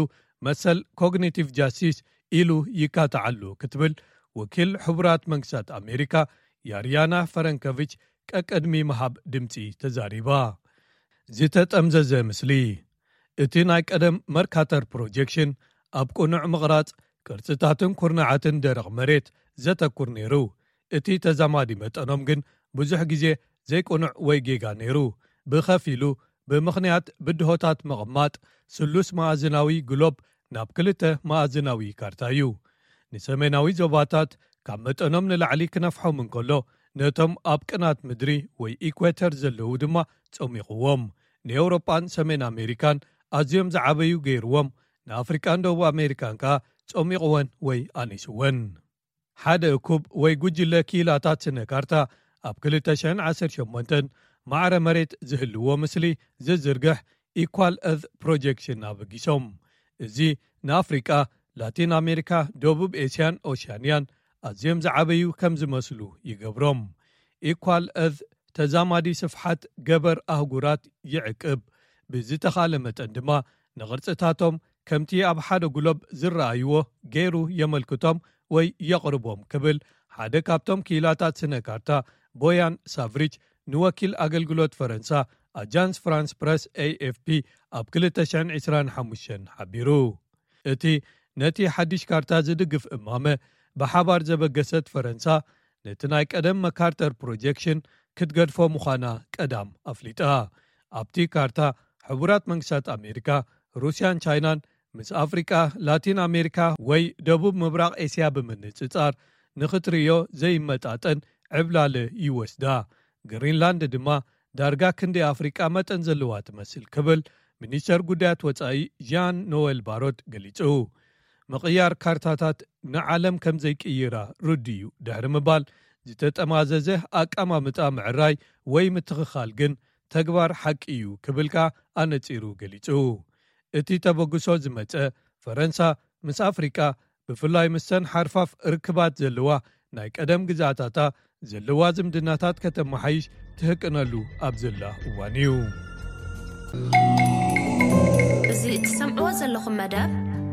መሰል ኮግኒቲቭ ጃስቲስ ኢሉ ይካትዓሉ ክትብል ወኪል ሕቡራት መንግስታት ኣሜሪካ ያርያና ፈረንከቪች ቀቀድሚ ምሃብ ድምፂ ተዛሪባ። ዝተጠምዘዘ ምስሊ። እቲ ናይ ቀደም መርካተር ፕሮጀክሽን ኣብ ቅኑዕ ምቕራጽ ቅርጽታትን ኩርናዓትን ደረቕ መሬት ዘተኩር ነይሩ። እቲ ተዛማዲ መጠኖም ግን ብዙሕ ግዜ ዘይቅኑዕ ወይ ጌጋ ነይሩ። ብኸፊሉ ብምኽንያት ብድሆታት ምቕማጥ ስሉስ መኣዝናዊ ግሎብ ናብ ክልተ መኣዝናዊ ካርታ እዩ። ንሰሜናዊ ዞባታት ካብ መጠኖም ንላዕሊ ክነፍሖም እንከሎ፣ ነቶም ኣብ ቅናት ምድሪ ወይ ኢኳተር ዘለዉ ድማ ጸሚቕዎም። ንኤውሮጳን ሰሜን ኣሜሪካን ኣዝዮም ዝዓበዩ ገይርዎም፣ ንኣፍሪቃን ደቡብ ኣሜሪካን ከኣ ጸሚቕወን ወይ ኣኒስወን። ሓደ እኩብ ወይ ጉጅለ ክኢላታት ስነ ካርታ ኣብ ክልተ ሽሕን ዓሰርተ ሸሞንተን ማዕረ መሬት ዝህልዎ ምስሊ ዝዝርግሕ ኢኳል እርዝ ፕሮጀክሽን ኣበጊሶም። እዚ ንኣፍሪቃ፣ ላቲን ኣሜሪካ፣ ደቡብ ኤስያን ኦሽያንያን ኣዝዮም ዝዓበዩ ከም ዝመስሉ ይገብሮም። ኢኳል እርዝ ተዛማዲ ስፍሓት ገበር ኣህጉራት ይዕቅብ። ብዝተኻለ መጠን ድማ ንቕርጽታቶም ከምቲ ኣብ ሓደ ጉሎብ ዝረኣይዎ ገይሩ የመልክቶም ወይ የቕርቦም ክብል ሓደ ካብቶም ክኢላታት ስነ ካርታ ቦያን ሳቭሪች ንወኪል ኣገልግሎት ፈረንሳ ኣጃንስ ፍራንስ ፕረስ ኤኤፍፒ ኣብ ክልተ ሽሕን ዕስራን ሓሙሽተን ሓቢሩ። እቲ ነቲ ሓድሽ ካርታ ዝድግፍ እማመ ብሓባር ዘበገሰት ፈረንሳ ነቲ ናይ ቀደም መካርተር ፕሮጀክሽን ክትገድፎ ምዃና ቀዳም ኣፍሊጣ። ኣብቲ ካርታ ሕቡራት መንግስታት ኣሜሪካ፣ ሩስያን ቻይናን ምስ ኣፍሪቃ፣ ላቲን ኣሜሪካ ወይ ደቡብ ምብራቕ ኤስያ ብምንጽጻር ንኽትርእዮ ዘይመጣጠን ዕብላለ ይወስዳ። ግሪንላንድ ድማ ዳርጋ ክንዲ ኣፍሪቃ መጠን ዘለዋ ትመስል ክብል ሚኒስተር ጉዳያት ወጻኢ ዣን ኖዌል ባሮት ገሊጹ። ምቕያር ካርታታት ንዓለም ከም ዘይቅይራ ርዱእ እዩ ድሕሪ ምባል፣ ዝተጠማዘዘ ኣቀማምጣ ምዕራይ ወይ ምትኽኻል ግን ተግባር ሓቂ እዩ ክብል ከኣ ኣነጺሩ ገሊጹ። እቲ ተበግሶ ዝመጸ ፈረንሳ ምስ ኣፍሪቃ ብፍላይ ምስተን ሓርፋፍ ርክባት ዘለዋ ናይ ቀደም ግዛታታ ዘለዋ ዝምድናታት ከተመሓይሽ ትህቅነሉ ኣብ ዘላ እዋን እዩ። እዚ እትሰምዕዎ ዘለኹም መደብ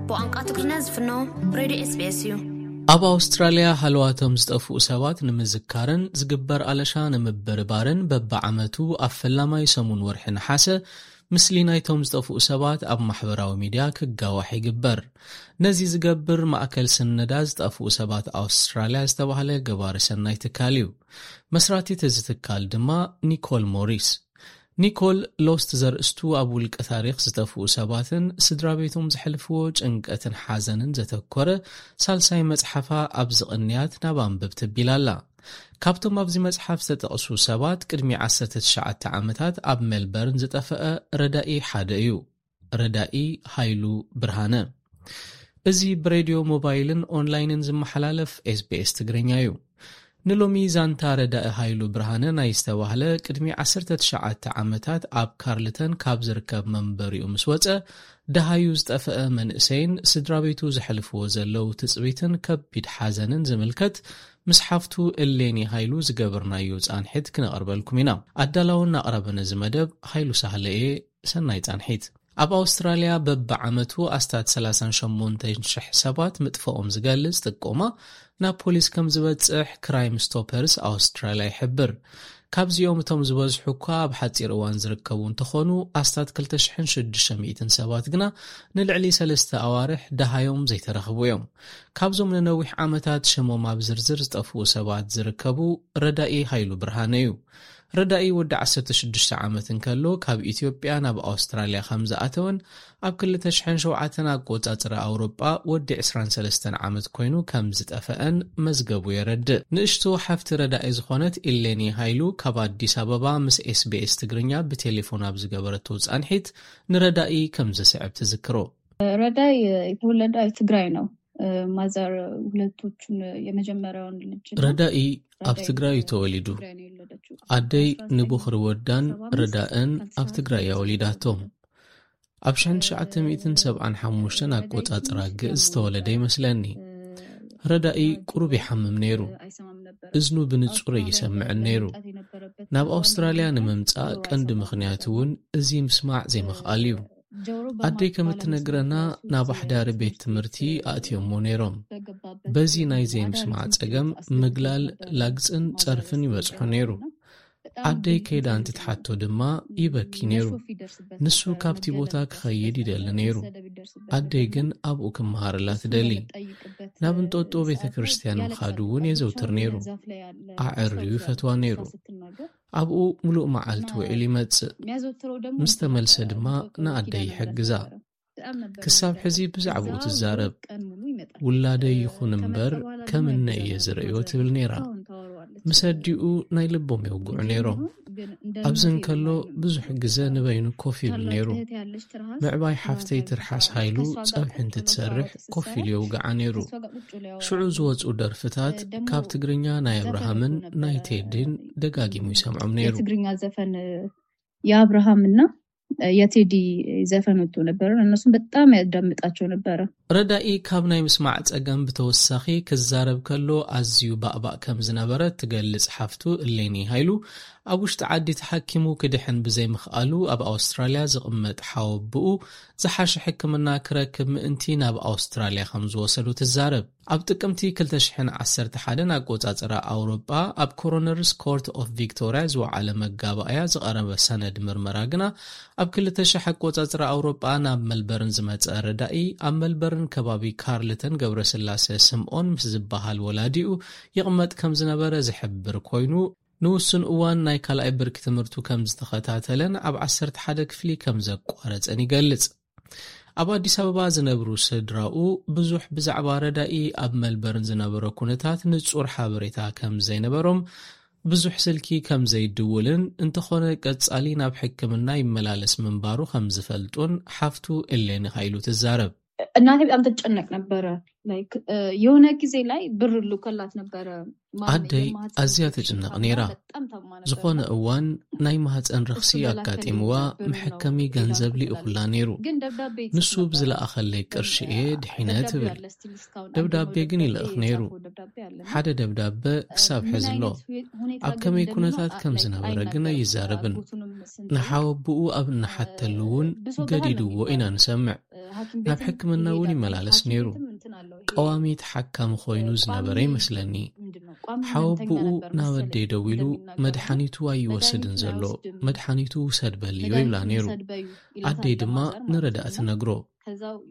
ብቋንቋ ትግርኛ ዝፍኖ ሬድዮ ኤስቢኤስ እዩ። ኣብ ኣውስትራልያ ሃለዋቶም ዝጠፍኡ ሰባት ንምዝካርን ዝግበር ኣለሻ ንምብርባርን በብዓመቱ ኣብ ፈላማይ ሰሙን ወርሒ ነሓሰ ምስሊ ናይቶም ዝጠፍኡ ሰባት ኣብ ማሕበራዊ ሚድያ ክጋዋሕ ይግበር። ነዚ ዝገብር ማእከል ስነዳ ዝጠፍኡ ሰባት ኣውስትራልያ ዝተባህለ ገባሪ ሰናይ ትካል እዩ። መስራቲት እዚ ትካል ድማ ኒኮል ሞሪስ። ኒኮል ሎስት ዘርእስቱ ኣብ ውልቀ ታሪኽ ዝጠፍኡ ሰባትን ስድራ ቤቶም ዘሕልፍዎ ጭንቀትን ሓዘንን ዘተኮረ ሳልሳይ መጽሓፋ ኣብዚ ቅንያት ናብ ኣንብብ ተቢላ ኣላ። ካብቶም ኣብዚ መጽሓፍ ዝተጠቕሱ ሰባት ቅድሚ ዓሰርተ ትሽዓተ ዓመታት ኣብ ሜልበርን ዝጠፈአ ረዳኢ ሓደ እዩ። ረዳኢ ሃይሉ ብርሃነ። እዚ ብሬድዮ ሞባይልን ኦንላይንን ዝመሓላለፍ ኤስቢኤስ ትግርኛ እዩ። ንሎሚ ዛንታ ረዳኢ ሃይሉ ብርሃነ ናይ ዝተባህለ ቅድሚ ዓሰርተ ትሽዓተ ዓመታት ኣብ ካርልተን ካብ ዝርከብ መንበሪኡ ምስ ወጸ ደሃዩ ዝጠፍአ መንእሰይን ስድራ ቤቱ ዘሕልፍዎ ዘለዉ ትጽቢትን ከቢድ ሓዘንን ዝምልከት ምስ ሓፍቱ እሌኒ ሃይሉ ዝገበርናዮ ጻንሒት ክነቕርበልኩም ኢና። ኣዳላውን ኣቕራብን እዚ መደብ ሃይሉ ሳህለ እየ። ሰናይ ጻንሒት። ኣብ ኣውስትራልያ በብዓመቱ ኣስታት ሰላሳን ሸሞንተን ሽሕ ሰባት ምጥፍኦም ዝገልጽ ጥቆማ ናብ ፖሊስ ከም ዝበጽሕ ክራይም ስቶፐርስ ኣውስትራልያ ይሕብር። ካብዚኦም እቶም ዝበዝሑ እኳ ኣብ ሓጺር እዋን ዝርከቡ እንተኾኑ፣ ኣስታት ክልተ ሽሕን ሽዱሽተ ሚእትን ሰባት ግና ንልዕሊ ሰለስተ ኣዋርሕ ደሃዮም ዘይተረኽቡ እዮም። ካብዞም ንነዊሕ ዓመታት ሽሞም ኣብ ዝርዝር ዝጠፍኡ ሰባት ዝርከቡ ረዳኢ ሃይሉ ብርሃነ እዩ። ረዳኢ ወዲ ዓሰርተ ሽዱሽተ ዓመት እንከሎ ካብ ኢትዮጵያ ናብ ኣውስትራልያ ከም ዝኣተወን ኣብ ክልተ ሽሕን ሸውዓተን ኣቆጻጽራ ኣውሮጳ ወዲ ዕስራን ሰለስተን ዓመት ኮይኑ ከም ዝጠፈአን መዝገቡ የረድእ። ንእሽቶ ሓፍቲ ረዳኢ ዝኾነት ኢሌኒ ሃይሉ ካብ ኣዲስ ኣበባ ምስ ኤስቢኤስ ትግርኛ ብቴሌፎን ኣብ ዝገበረቶ ጻንሒት ንረዳኢ ከም ዝስዕብ ትዝክሮ። ረዳይ የተወለደ ትግራይ ነው። ማዘር ሁለቶቹን የመጀመሪያውን ልጅ ነው። ረዳኢ ኣብ ረዳይ ትግራይ እዩ ተወሊዱ። ትግራይ ነው የወለደችው። ኣደይ ንቦኽሪ ወዳን ረዳእን ኣብ ትግራይ እያ ወሊዳቶም። ኣብ ሽሕን ትሽዓተ ሚእትን ሰብዓን ሓሙሽተን ኣቆጻጽራ ግእዝ ዝተወለደ ይመስለኒ። ረዳኢ ቁሩብ ይሓምም ነይሩ። እዝኑ ብንጹር ይሰምዕን ነይሩ። ናብ ኣውስትራልያ ንምምጻእ ቀንዲ ምኽንያት እውን እዚ ምስማዕ ዘይምኽኣል እዩ። ኣደይ ከም እትነግረና ናብ ኣሕዳሪ ቤት ትምህርቲ ኣእትዮሞ ነይሮም። በዚ ናይ ዘይምስማዕ ጸገም ምግላል፣ ላግጽን ጸርፍን ይበጽሖ ነይሩ። ኣደይ ከይዳ እንትትሓቶ ድማ ይበኪ ነይሩ። ንሱ ካብቲ ቦታ ክኸይድ ይደሊ ነይሩ። ኣደይ ግን ኣብኡ ክመሃረላ ትደሊ። ናብ እንጦጦ ቤተ ክርስቲያን ምኻዱ እውን የዘውትር ነይሩ። ኣዐርዩ ይፈትዋ ነይሩ። ኣብኡ ምሉእ መዓልቲ ውዒሉ ይመጽእ። ምስ ተመልሰ ድማ ንኣደይ ይሕግዛ። ክሳብ ሕዚ ብዛዕባኡ ትዛረብ። ውላደይ ይኹን እምበር ከም እነ እየ ዝርእዮ ትብል ነይራ። ምስ ኣዲኡ ናይ ልቦም የውግዑ ነይሮም። ኣብዚ እንከሎ ብዙሕ ግዘ ንበይኑ ኮፍ ይብል ነይሩ። ምዕባይ ሓፍተይ ትርሓስ ሃይሉ ጸብሒ እንትትሰርሕ ኮፍ ኢሉ የውግዓ ነይሩ። ሽዑ ዝወጹ ደርፍታት ካብ ትግርኛ ናይ ኣብርሃምን ናይ ቴዲን ደጋጊሙ ይሰምዖም ነይሩ። የትግርኛ ዘፈን የአብርሃምና የቴዲ ዘፈን ወጥቶ ነበረ። እነሱም በጣም ያዳምጣቸው ነበረ። ረዳኢ ካብ ናይ ምስማዕ ጸገም ብተወሳኺ ክዛረብ ከሎ ኣዝዩ ባእባእ ከም ዝነበረ ትገልጽ ሓፍቱ እሌኒ ሃይሉ፣ ኣብ ውሽጢ ዓዲ ተሓኪሙ ክድሕን ብዘይምኽኣሉ ኣብ ኣውስትራልያ ዝቕመጥ ሓወብኡ ዝሓሸ ሕክምና ክረክብ ምእንቲ ናብ ኣውስትራልያ ከም ዝወሰዱ ትዛረብ። ኣብ ጥቅምቲ ክልተ ሽሕን ዓሰርተ ሓደን ኣቆጻጽራ ኣውሮጳ ኣብ ኮሮነርስ ኮርት ኦፍ ቪክቶርያ ዝወዓለ መጋባእያ ዝቐረበ ሰነድ ምርመራ ግና ኣብ ክልተ ሽሕ ኣቆጻጽራ ኣውሮጳ ናብ መልበርን ዝመጸ ረዳኢ ኣብ መልበርን ከባቢ ካርልተን ገብረስላሴ ስምኦን ምስ ዝበሃል ወላዲኡ ይቕመጥ ከም ዝነበረ ዝሕብር ኮይኑ፣ ንውሱን እዋን ናይ ካልኣይ ብርኪ ትምህርቱ ከም ዝተኸታተለን ኣብ ዓሰርተ ሓደ ክፍሊ ከም ዘቋረጸን ይገልጽ። ኣብ ኣዲስ ኣበባ ዝነብሩ ስድራኡ ብዙሕ ብዛዕባ ረዳኢ ኣብ መልበርን ዝነበሮ ኩነታት ንጹር ሓበሬታ ከም ዘይነበሮም፣ ብዙሕ ስልኪ ከም ዘይድውልን እንተኾነ ቀጻሊ ናብ ሕክምና ይመላለስ ምንባሩ ከም ዝፈልጡን ሓፍቱ እሌኒ ሃይሉ ትዛረብ። እናቴ በጣም ትጨነቅ ነበረ። ላይክ የሆነ ጊዜ ላይ ብር ልኮላት ነበረ። ማን አደይ የማህፀን አዚያ ኢንፌክሽን ተጨነቅ ታማ ነይራ። በጣም ታማ ነበረ። ዝኾነ እዋን ናይ ማህፀን ረኽሲ እሱ በላከልኝ አጋጢምዋ ብር ነው መሐከሚ ገንዘብ የላኩላት። ሊእኹላ ነይሩ። ግን ደብዳቤ ይጽፍ ንሱ ነበረ። ብዝለኣኸለይ ቅርሺ እየ ድሒነ ደብዳቤ ትብል። አለ፣ ስቲል እስካሁን ደብዳቤ አንደኛው ግን ደብዳቤ ይልእኽ ነይሩ። የጻፈው ደብዳቤ አለ። ሓደ ደብዳበ ክሳብ ምን ሐዚ ኣሎ። አይነት ሁኔ-፣ ሁኔታ ኣብ ግን ከመይ እንደሚመጣ ኩነታት ከም ላይክ ዝነበረ ግን ኣይዛረብን። አልገባትም። ስንት ነው? ንሓወብኡ ኣብ እናሓተሉ እውን ብዙ ገዲድዎ ኢና ንሰምዕ። ናብ ሕክምና እውን ይመላለስ ነይሩ። ቀዋሚ ተሓካሚ ኮይኑ ዝነበረ ይመስለኒ። ሓወብኡ ናብ ኣደይ ደዊሉ፣ "መድሓኒቱ ኣይወስድን ዘሎ፣ መድሓኒቱ ውሰድ በልዮ" ይብላ ነይሩ። ኣደይ ድማ ንረዳእ ትነግሮ።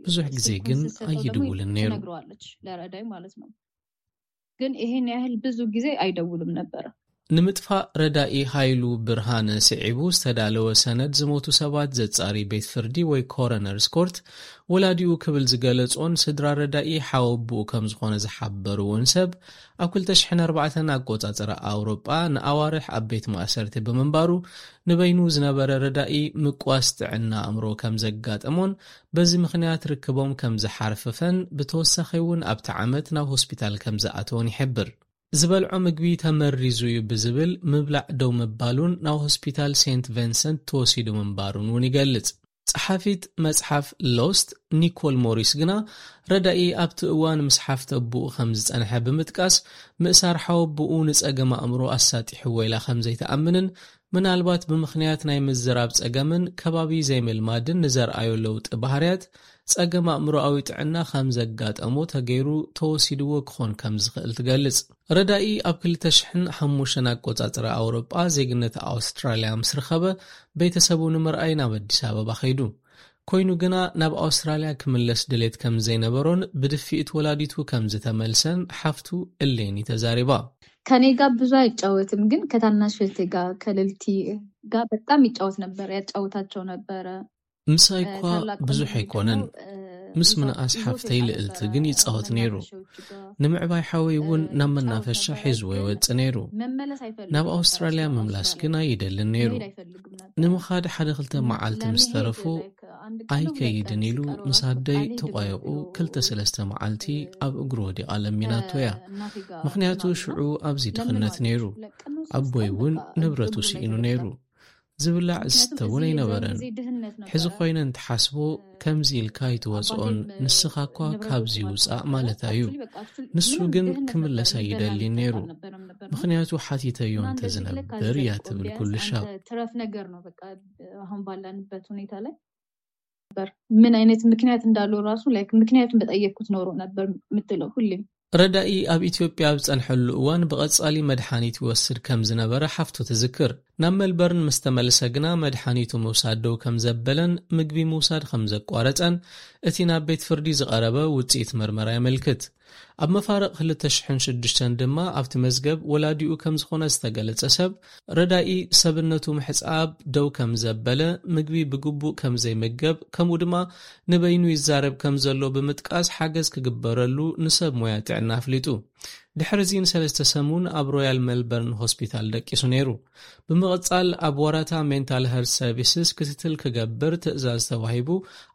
ብዙሕ ግዜ ግን ኣይድውልን ነይሩ። ግን ይሄን ያህል ብዙ ጊዜ አይደውልም ነበረ። ንምጥፋእ ረዳኢ ሃይሉ ብርሃነ ስዒቡ ዝተዳለወ ሰነድ ዝሞቱ ሰባት ዘጻሪ ቤት ፍርዲ ወይ ኮረነርስ ኮርት፣ ወላዲኡ ክብል ዝገለጾን ስድራ ረዳኢ ሓወቡኡ ከም ዝኾነ ዝሓበርዎን ሰብ፣ ኣብ ክልተ ሽሕን ኣርባዕተን ኣቆጻጽራ ኣውሮጳ ንኣዋርሕ ኣብ ቤት ማእሰርቲ ብምንባሩ፣ ንበይኑ ዝነበረ ረዳኢ ምቅዋስ ጥዕና ኣእምሮ ከም ዘጋጠሞን በዚ ምኽንያት ርክቦም ከም ዝሓርፍፈን፣ ብተወሳኺ እውን ኣብቲ ዓመት ናብ ሆስፒታል ከም ዝኣተወን ይሕብር። ዝበልዖ ምግቢ ተመሪዙ እዩ ብዝብል ምብላዕ ደው ምባሉን ናብ ሆስፒታል ሴንት ቨንሰንት ተወሲዱ ምንባሩን እውን ይገልጽ። ጸሓፊት መጽሓፍ ሎስት ኒኮል ሞሪስ ግና፣ ረዳኢ ኣብቲ እዋን ምስ ሓፍተ ኣቦኡ ከም ዝጸንሐ ብምጥቃስ፣ ምእሳር ሓወቦኡ ንጸገም ኣእምሮ ኣሳጢሕዎ ኢላ ከም ዘይትኣምንን፣ ምናልባት ብምኽንያት ናይ ምዝራብ ጸገምን ከባቢ ዘይምልማድን ንዘርኣዮ ለውጢ ባህርያት፣ ጸገም ኣእምሮኣዊ ጥዕና ከም ዘጋጠሞ ተገይሩ ተወሲድዎ ክኾን ከም ዝኽእል ትገልጽ። ረዳኢ ኣብ ክልተ ሽሕን ሓሙሽተን ኣቆጻጽራ ኣውሮጳ ዜግነት ኣውስትራልያ ምስ ረኸበ፣ ቤተሰቡ ንምርኣይ ናብ ኣዲስ ኣበባ ከይዱ። ኮይኑ ግና፣ ናብ ኣውስትራልያ ክምለስ ድሌት ከም ዘይነበሮን ብድፍኢት ወላዲቱ ከም ዝተመልሰን ሓፍቱ እሌኒ ተዛሪባ። ከኔ ጋር ብዙ አይጫወትም፣ ግን ከታናሽ እህቴ ጋር፣ ከልልቲ ጋር በጣም ይጫወት ነበር፣ ያጫውታቸው ነበረ። ምሳይ እኳ ብዙሕ ኣይኮነን፣ ምስ ምንኣስ ሓፍተይ ልእልቲ ግን ይጻወት ነይሩ። ንምዕባይ ሓወይ እውን ናብ መናፈሻ ሒዝዎ ይወጽእ ነይሩ። ናብ ኣውስትራልያ ምምላስ ግን ኣይደልን ነይሩ። ንምኻድ ሓደ ክልተ መዓልቲ ምስ ተረፉ፣ ኣይከይድን ኢሉ ምስ ኣደይ ተቋይቑ ክልተ ሰለስተ መዓልቲ ኣብ እግሩ ወዲቓ ለሚናቶ እያ። ምኽንያቱ ሽዑ ኣብዚ ድኽነት ነይሩ። ኣቦይ እውን ንብረቱ ስኢኑ ነይሩ። ዝብላዕ ዝስተ እውን ኣይነበረን። ሕዚ ኮይነ እንትሓስቦ፣ ከምዚ ኢልካ ኣይትወፅኦን፣ ንስኻ እኳ ካብዚ ውፃእ ማለታ እዩ። ንሱ ግን ክምለስ ኣይደልን ነይሩ። ምኽንያቱ ሓቲተዮ እንተዝነብር እያ ትብል ኩልሻብ። ትረፍ ነገር ነው። በቃ አሁን ባለንበት ሁኔታ ላይ ነበር። ምን አይነት ምክንያት እንዳለው ራሱ፣ ላይክ፣ ምክንያቱን በጠየቅኩት ኖሮ ነበር የምትለው ሁሌም። ረዳኢ ኣብ ኢትዮጵያ ኣብ ዝጸንሐሉ እዋን ብቐጻሊ መድሓኒት ይወስድ ከም ዝነበረ ሓፍቱ ትዝክር። ናብ መልበርን ምስ ተመልሰ ግና መድሓኒቱ ምውሳድ ደው ከም ዘበለን ምግቢ ምውሳድ ከም ዘቋረጸን እቲ ናብ ቤት ፍርዲ ዝቐረበ ውጽኢት ምርመራ የመልክት። ኣብ መፋርቕ ክልተ ሽሕን ሽዱሽተን ድማ ኣብቲ መዝገብ ወላዲኡ ከም ዝኾነ ዝተገለጸ ሰብ፣ ረዳኢ ሰብነቱ ምሕጻብ ደው ከም ዘበለ፣ ምግቢ ብግቡእ ከም ዘይምገብ፣ ከምኡ ድማ ንበይኑ ይዛረብ ከም ዘሎ ብምጥቃስ ሓገዝ ክግበረሉ ንሰብ ሞያ ጥዕና ኣፍሊጡ። ድሕሪ እዚ ንሰለስተ ሰሙን ኣብ ሮያል ሜልበርን ሆስፒታል ደቂሱ ነይሩ። ብምቕጻል ኣብ ዋራታ ሜንታል ሄልት ሰርቪስስ ክትትል ክገብር ትእዛዝ ተዋሂቡ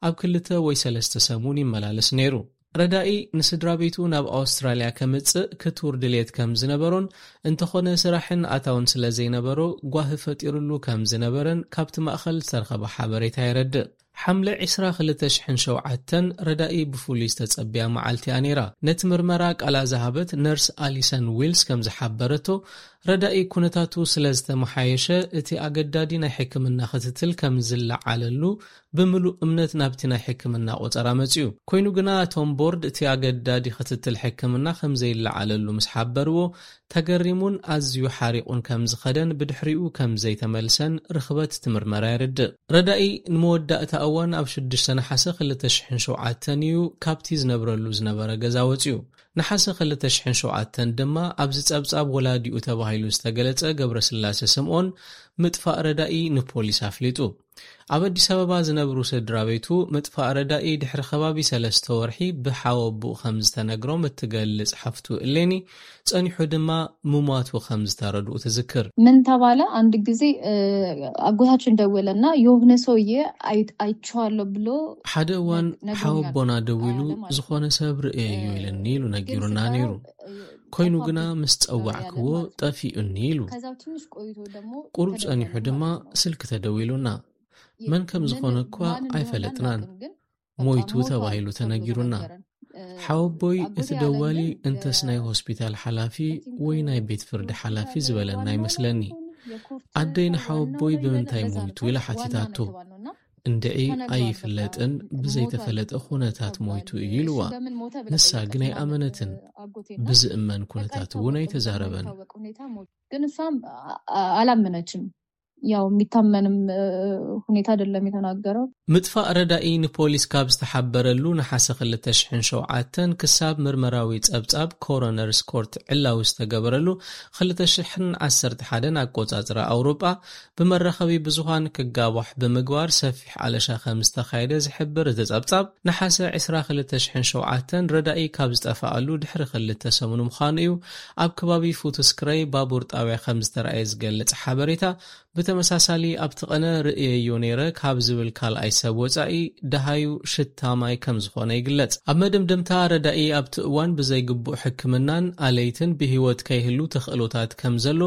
ኣብ ክልተ ወይ ሰለስተ ሰሙን ይመላለስ ነይሩ። ረዳኢ ንስድራ ቤቱ ናብ ኣውስትራልያ ከምጽእ ክቱር ድልየት ከም ዝነበሮን፣ እንተኾነ ስራሕን ኣታውን ስለ ዘይነበሮ ጓሂ ፈጢሩሉ ከም ዝነበረን ካብቲ ማእኸል ዝተረኸበ ሓበሬታ የረድእ። ሓምለ ዕስራ ክልተ ሽሕን ሸውዓተን ረዳኢ ብፍሉይ ዝተጸብያ መዓልቲ እያ ነይራ። ነቲ ምርመራ ቃላ ዝሃበት ነርስ ኣሊሰን ዊልስ ከም ዝሓበረቶ፣ ረዳኢ ኩነታቱ ስለ ዝተመሓየሸ፣ እቲ ኣገዳዲ ናይ ሕክምና ክትትል ከም ዝለዓለሉ ብምሉእ እምነት ናብቲ ናይ ሕክምና ቆጸራ መጺኡ። ኮይኑ ግና፣ እቶም ቦርድ እቲ ኣገዳዲ ክትትል ሕክምና ከም ዘይለዓለሉ ምስ ሓበርዎ፣ ተገሪሙን ኣዝዩ ሓሪቑን ከም ዝኸደን ብድሕሪኡ ከም ዘይተመልሰን ርኽበት እቲ ምርመራ የርድእ። ረዳኢ ንመወዳእታ እዋን ኣብ ሽዱሽተ ነሓሰ ክልተ ሽሕን ሸውዓተን እዩ ካብቲ ዝነብረሉ ዝነበረ ገዛ ወጺኡ። ነሓሰ ክልተ ሽሕን ሸውዓተን ድማ ኣብዚ ጸብጻብ ወላዲኡ ተባሂሉ ዝተገለጸ ገብረስላሴ ስምኦን ምጥፋእ ረዳኢ ንፖሊስ ኣፍሊጡ። ኣብ ኣዲስ ኣበባ ዝነብሩ ስድራ ቤቱ፣ ምጥፋእ ረዳኢ ድሕሪ ከባቢ ሰለስተ ወርሒ ብሓወቡኡ ከም ዝተነግሮም እትገልጽ ሓፍቱ እሌኒ፣ ጸኒሑ ድማ ምሟቱ ከም ዝተረድኡ ትዝክር። ምን ተባለ? አንድ ጊዜ፣ እ፣ አጎታችን ደወለና፣ የሆነ ሰውዬ አይ-፣ አይቼዋለሁ ብሎ ሓደ እዋን ነግ-፣ ነግሮኛል ሓወቦና ደዊሉ፣ አለ ማለት ነው። ዝኾነ ሰብ ርእየዮ እ፣ ኢልኒ ኢሉ ግን ነጊሩና ስጠራው፣ ነይሩ። እ፣ ኮይኑ ግና ጠፋብኝ፣ ምስ እ፣ ጸዋዕክዎ ያለ ማለት ነው። ጠፊኡኒ ኢሉ። ከዛው ትንሽ ቆይቶ ደግሞ ቁሩብ ተደወለ ጸኒሑ ድማ ማለት ነው። ስልኪ ተደዊሉና። የ-፣ መን ከም ምን ዝኾነ እኳ ማን እንደሆነ አይፈለጥናን። አናውቅም፣ ግን በቃ ሞይቱ ሞቷል ተባሂሉ ተብሎ ተነጊሩና። ተነገረን። እ፣ ሓወቦይ ኣጎቴ እቲ ደዋሊ ያለኝ እንተስ ናይ የ-፣ ሆስፒታል ሓላፊ I think ወይ ናይ ቤት ፍርዲ ሆስፒታል ሓላፊ ዝበለና ዋናው ይመስለኒ። ይሁን የኮርት ኣደይ ዋናው ንሓወቦይ ይሁን ብምንታይ ለዛ ሞይቱ ነበር ኢላ ዋና ሓቲታቶ። ነጥብ አለው እና እንድዒ ተነግሯል። በቃ፣ አይፍለጥን እ፣ ብዘይተፈለጠ ሞቷል ኩነታት ተብሏል። ሞይቱ እዩ እሺ፣ ኢልዋ። በምን ሞተ ብላ ንሳ ጠየቀች ግን ማለት ነው። ኣይኣመነትን። አጎቴና ብዝእመን በቃ ኩነታት እውን ይታወቅ ነበር፣ አይተዛረበን። በማይታወቅ ሁኔታ ሞት። ግን እሷም አ-፣ አ-፣ አላመነችም። ያው የሚታመንም ሁኔታ አይደለም የተናገረው። ምጥፋእ ረዳኢ ንፖሊስ ካብ ዝተሓበረሉ ነሓሰ ክልተ ሽሕን ሸውዓተን ክሳብ ምርመራዊ ጸብጻብ ኮሮነርስ ኮርት ዕላዊ ዝተገበረሉ ክልተ ሽሕን ዓሰርተ ሓደን ኣቆጻጽራ ኣውሮጳ ብመራኸቢ ብዙሃን ክጋባሕ ብምግባር ሰፊሕ ኣለሻ ከም ዝተኻየደ ዝሕብር እቲ ጸብጻብ፣ ነሓሰ ዕስራ ክልተ ሽሕን ሸውዓተን ረዳኢ ካብ ዝጠፋኣሉ ድሕሪ ክልተ ሰሙን ምዃኑ እዩ ኣብ ከባቢ ፉትስክረይ ባቡር ጣብያ ከም ዝተረኣየ ዝገልጽ ሓበሬታ። ብተመሳሳሊ ኣብቲ ቀነ ርእየዮ ነይረ ካብ ዝብል ካልኣይ ሰብ ወጻኢ ደሃዩ ሽታ ማይ ከም ዝኾነ ይግለጽ። ኣብ መደምደምታ ረዳኢ ኣብቲ እዋን ብዘይግቡእ ሕክምናን ኣለይትን ብህይወት ከይህሉ ተኽእሎታት ከም ዘሎ፣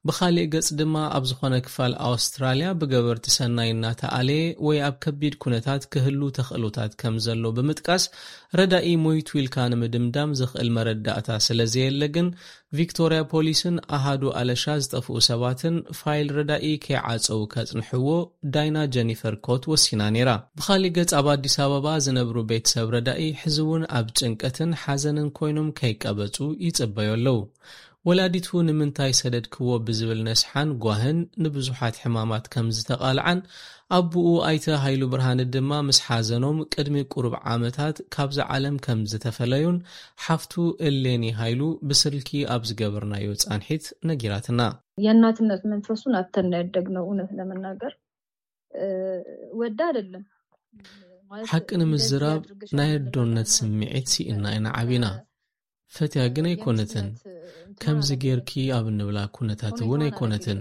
ብኻሊእ ገጽ ድማ ኣብ ዝኾነ ክፋል ኣውስትራልያ ብገበርቲ ሰናይ እናተኣለየ ወይ ኣብ ከቢድ ኩነታት ክህሉ ተኽእሎታት ከም ዘሎ ብምጥቃስ፣ ረዳኢ ሞይቱ ኢልካ ንምድምዳም ዘኽእል መረዳእታ ስለ ዘየለ ግን ቪክቶርያ ፖሊስን ኣሃዱ ኣለሻ ዝጠፍኡ ሰባትን ፋይል ረዳኢ ከይዓጸው ከጽንሕዎ ዳይና ጀኒፈር ኮት ወሲና ነይራ። ብኻሊእ ገጽ ኣብ ኣዲስ ኣበባ ዝነብሩ ቤተሰብ ረዳኢ ሕዚ እውን ኣብ ጭንቀትን ሓዘንን ኮይኖም ከይቀበጹ ይጽበዩ ኣለዉ። ወላዲቱ ንምንታይ ሰደድክዎ ብዝብል ነስሓን ጓህን ንብዙሓት ሕማማት ከም ዝተቓልዓን ኣቦኡ ኣይተ ሃይሉ ብርሃነ ድማ ምስ ሓዘኖም ቅድሚ ቁሩብ ዓመታት ካብዛ ዓለም ከም ዝተፈለዩን ሓፍቱ እሌኒ ሃይሉ ብስልኪ ኣብ ዝገበርናዮ ጻንሒት ነጊራትና። የእናትነት መንፈሱን ኣተን ያደግነው እውነት ለመናገር ወዳ አይደለም። ሓቂ ንምዝራብ ናይ ኣዶነት ስምዒት ስኢና ኢና ዓቢና። ፈትያ ግን ኣይኮነትን። ከምዚ ጌርኪ ኣብ እንብላ ኩነታት እውን ኣይኮነትን።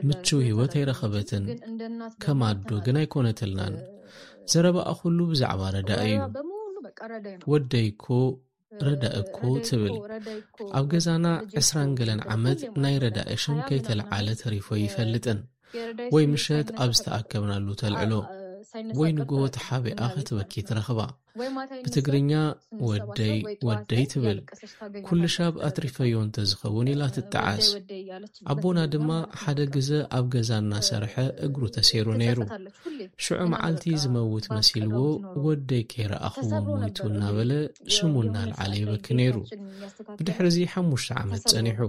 ምቹው ህይወት ኣይረኸበትን። ከም ኣዶ ግን ኣይኮነትልናን። ዘረባኣ ኩሉ ብዛዕባ ረዳእ እዩ። ወደይ እኮ ረዳእ እኮ ትብል። ኣብ ገዛና ዕስራን ገለን ዓመት ናይ ረዳእ ሽም ከይተለዓለ ተሪፎ ይፈልጥን። ወይ ምሸት ኣብ ዝተኣከብናሉ ተልዕሎ፣ ወይ ንግሆ ተሓቢኣ ክትበኪ ትረኽባ። ብትግርኛ ወደይ ወደይ ትብል። ኩሉ ሻብ ኣትሪፈዮ እንተዝኸውን ኢላ ትጠዓስ። ኣቦና ድማ ሓደ ግዘ ኣብ ገዛ እናሰርሐ እግሩ ተሰይሩ ነይሩ። ሽዑ መዓልቲ ዝመውት መሲልዎ ወደይ ከይረኣኽዎ ሞይቱ እናበለ ሽሙ እናልዓለ ይበኪ ነይሩ። ብድሕሪ እዚ ሓሙሽተ ዓመት ጸኒሑ።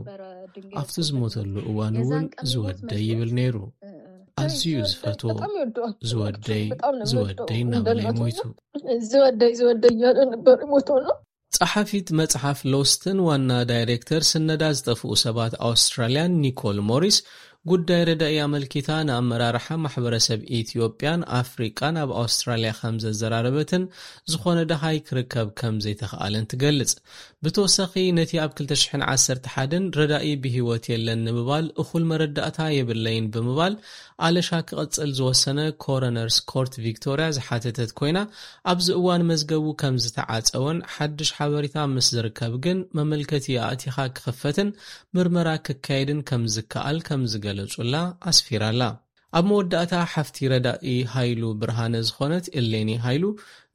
ኣብቲ ዝሞተሉ እዋን እውን ዝወደይ ይብል ነይሩ። ኣዝዩ ዝፈትዎ ዝወደይ ዝወደይ እናበለ ይሞይቱ። ዝወደይ ዝወደይ እያለ ነበር ሞቶ ነው። ጸሓፊት መጽሓፍ ሎስትን ዋና ዳይሬክተር ስነዳ ዝጠፍኡ ሰባት ኣውስትራልያን ኒኮል ሞሪስ ጉዳይ ረዳኢ ኣመልኪታ ንኣመራርሓ ማሕበረሰብ ኢትዮጵያን ኣፍሪቃን ኣብ ኣውስትራልያ ከም ዘዘራረበትን ዝኾነ ደሃይ ክርከብ ከም ዘይተኽኣለን ትገልጽ። ብተወሳኺ ነቲ ኣብ ክልተ ሽሕን ዓሰርተ ሓደን ረዳኢ ብህይወት የለን ንምባል እኹል መረዳእታ የብለይን ብምባል ኣለሻ ክቕጽል ዝወሰነ ኮረነርስ ኮርት ቪክቶርያ ዝሓተተት ኮይና ኣብዚ እዋን መዝገቡ ከም ዝተዓጸወን ሓድሽ ሓበሬታ ምስ ዝርከብ ግን መመልከቲ ኣእቲኻ ክኽፈትን ምርመራ ክካየድን ከም ዝከኣል ከም ዝገለጹላ ኣስፊራላ። ኣብ መወዳእታ ሓፍቲ ረዳኢ ሃይሉ ብርሃነ ዝኾነት እሌኒ ሃይሉ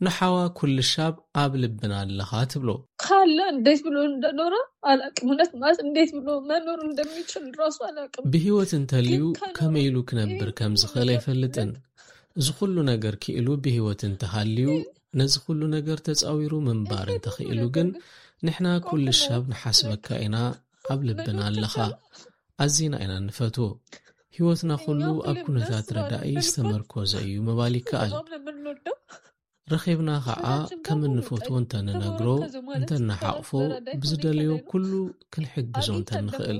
ንሓዋ ኩልሻብ ኣብ ልብና ኣለኻ ትብሎ። ካለ እንዴት ብሎ እንደኖረ አላቅም። እውነት ማለት እንዴት ብሎ መኖር እንደሚችል ራሱ አላቅም። ብህይወት እንተልዩ ከመይ ኢሉ ክነብር ከም ዝኽእል ኣይፈልጥን። እዚ ኩሉ ነገር ክኢሉ ብህይወት እንተሃልዩ ነዚ ኩሉ ነገር ተጻዊሩ ምንባር እንተኽኢሉ ግን ንሕና ኩልሻብ ንሓስበካ ኢና። ኣብ ልብና ኣለኻ። ኣዚና ኢና እንፈትዎ። ህይወትና ኩሉ ኣብ ኩነታት ረዳኢ ዝተመርኮዘ እዩ ምባል ይከኣል። ረኺብና ኸዓ ከም እንፈትዎ እንተንነግሮ፣ እንተንሓቕፎ፣ ብዝደለዮ ኩሉ ክንሕግዞ እንተንኽእል።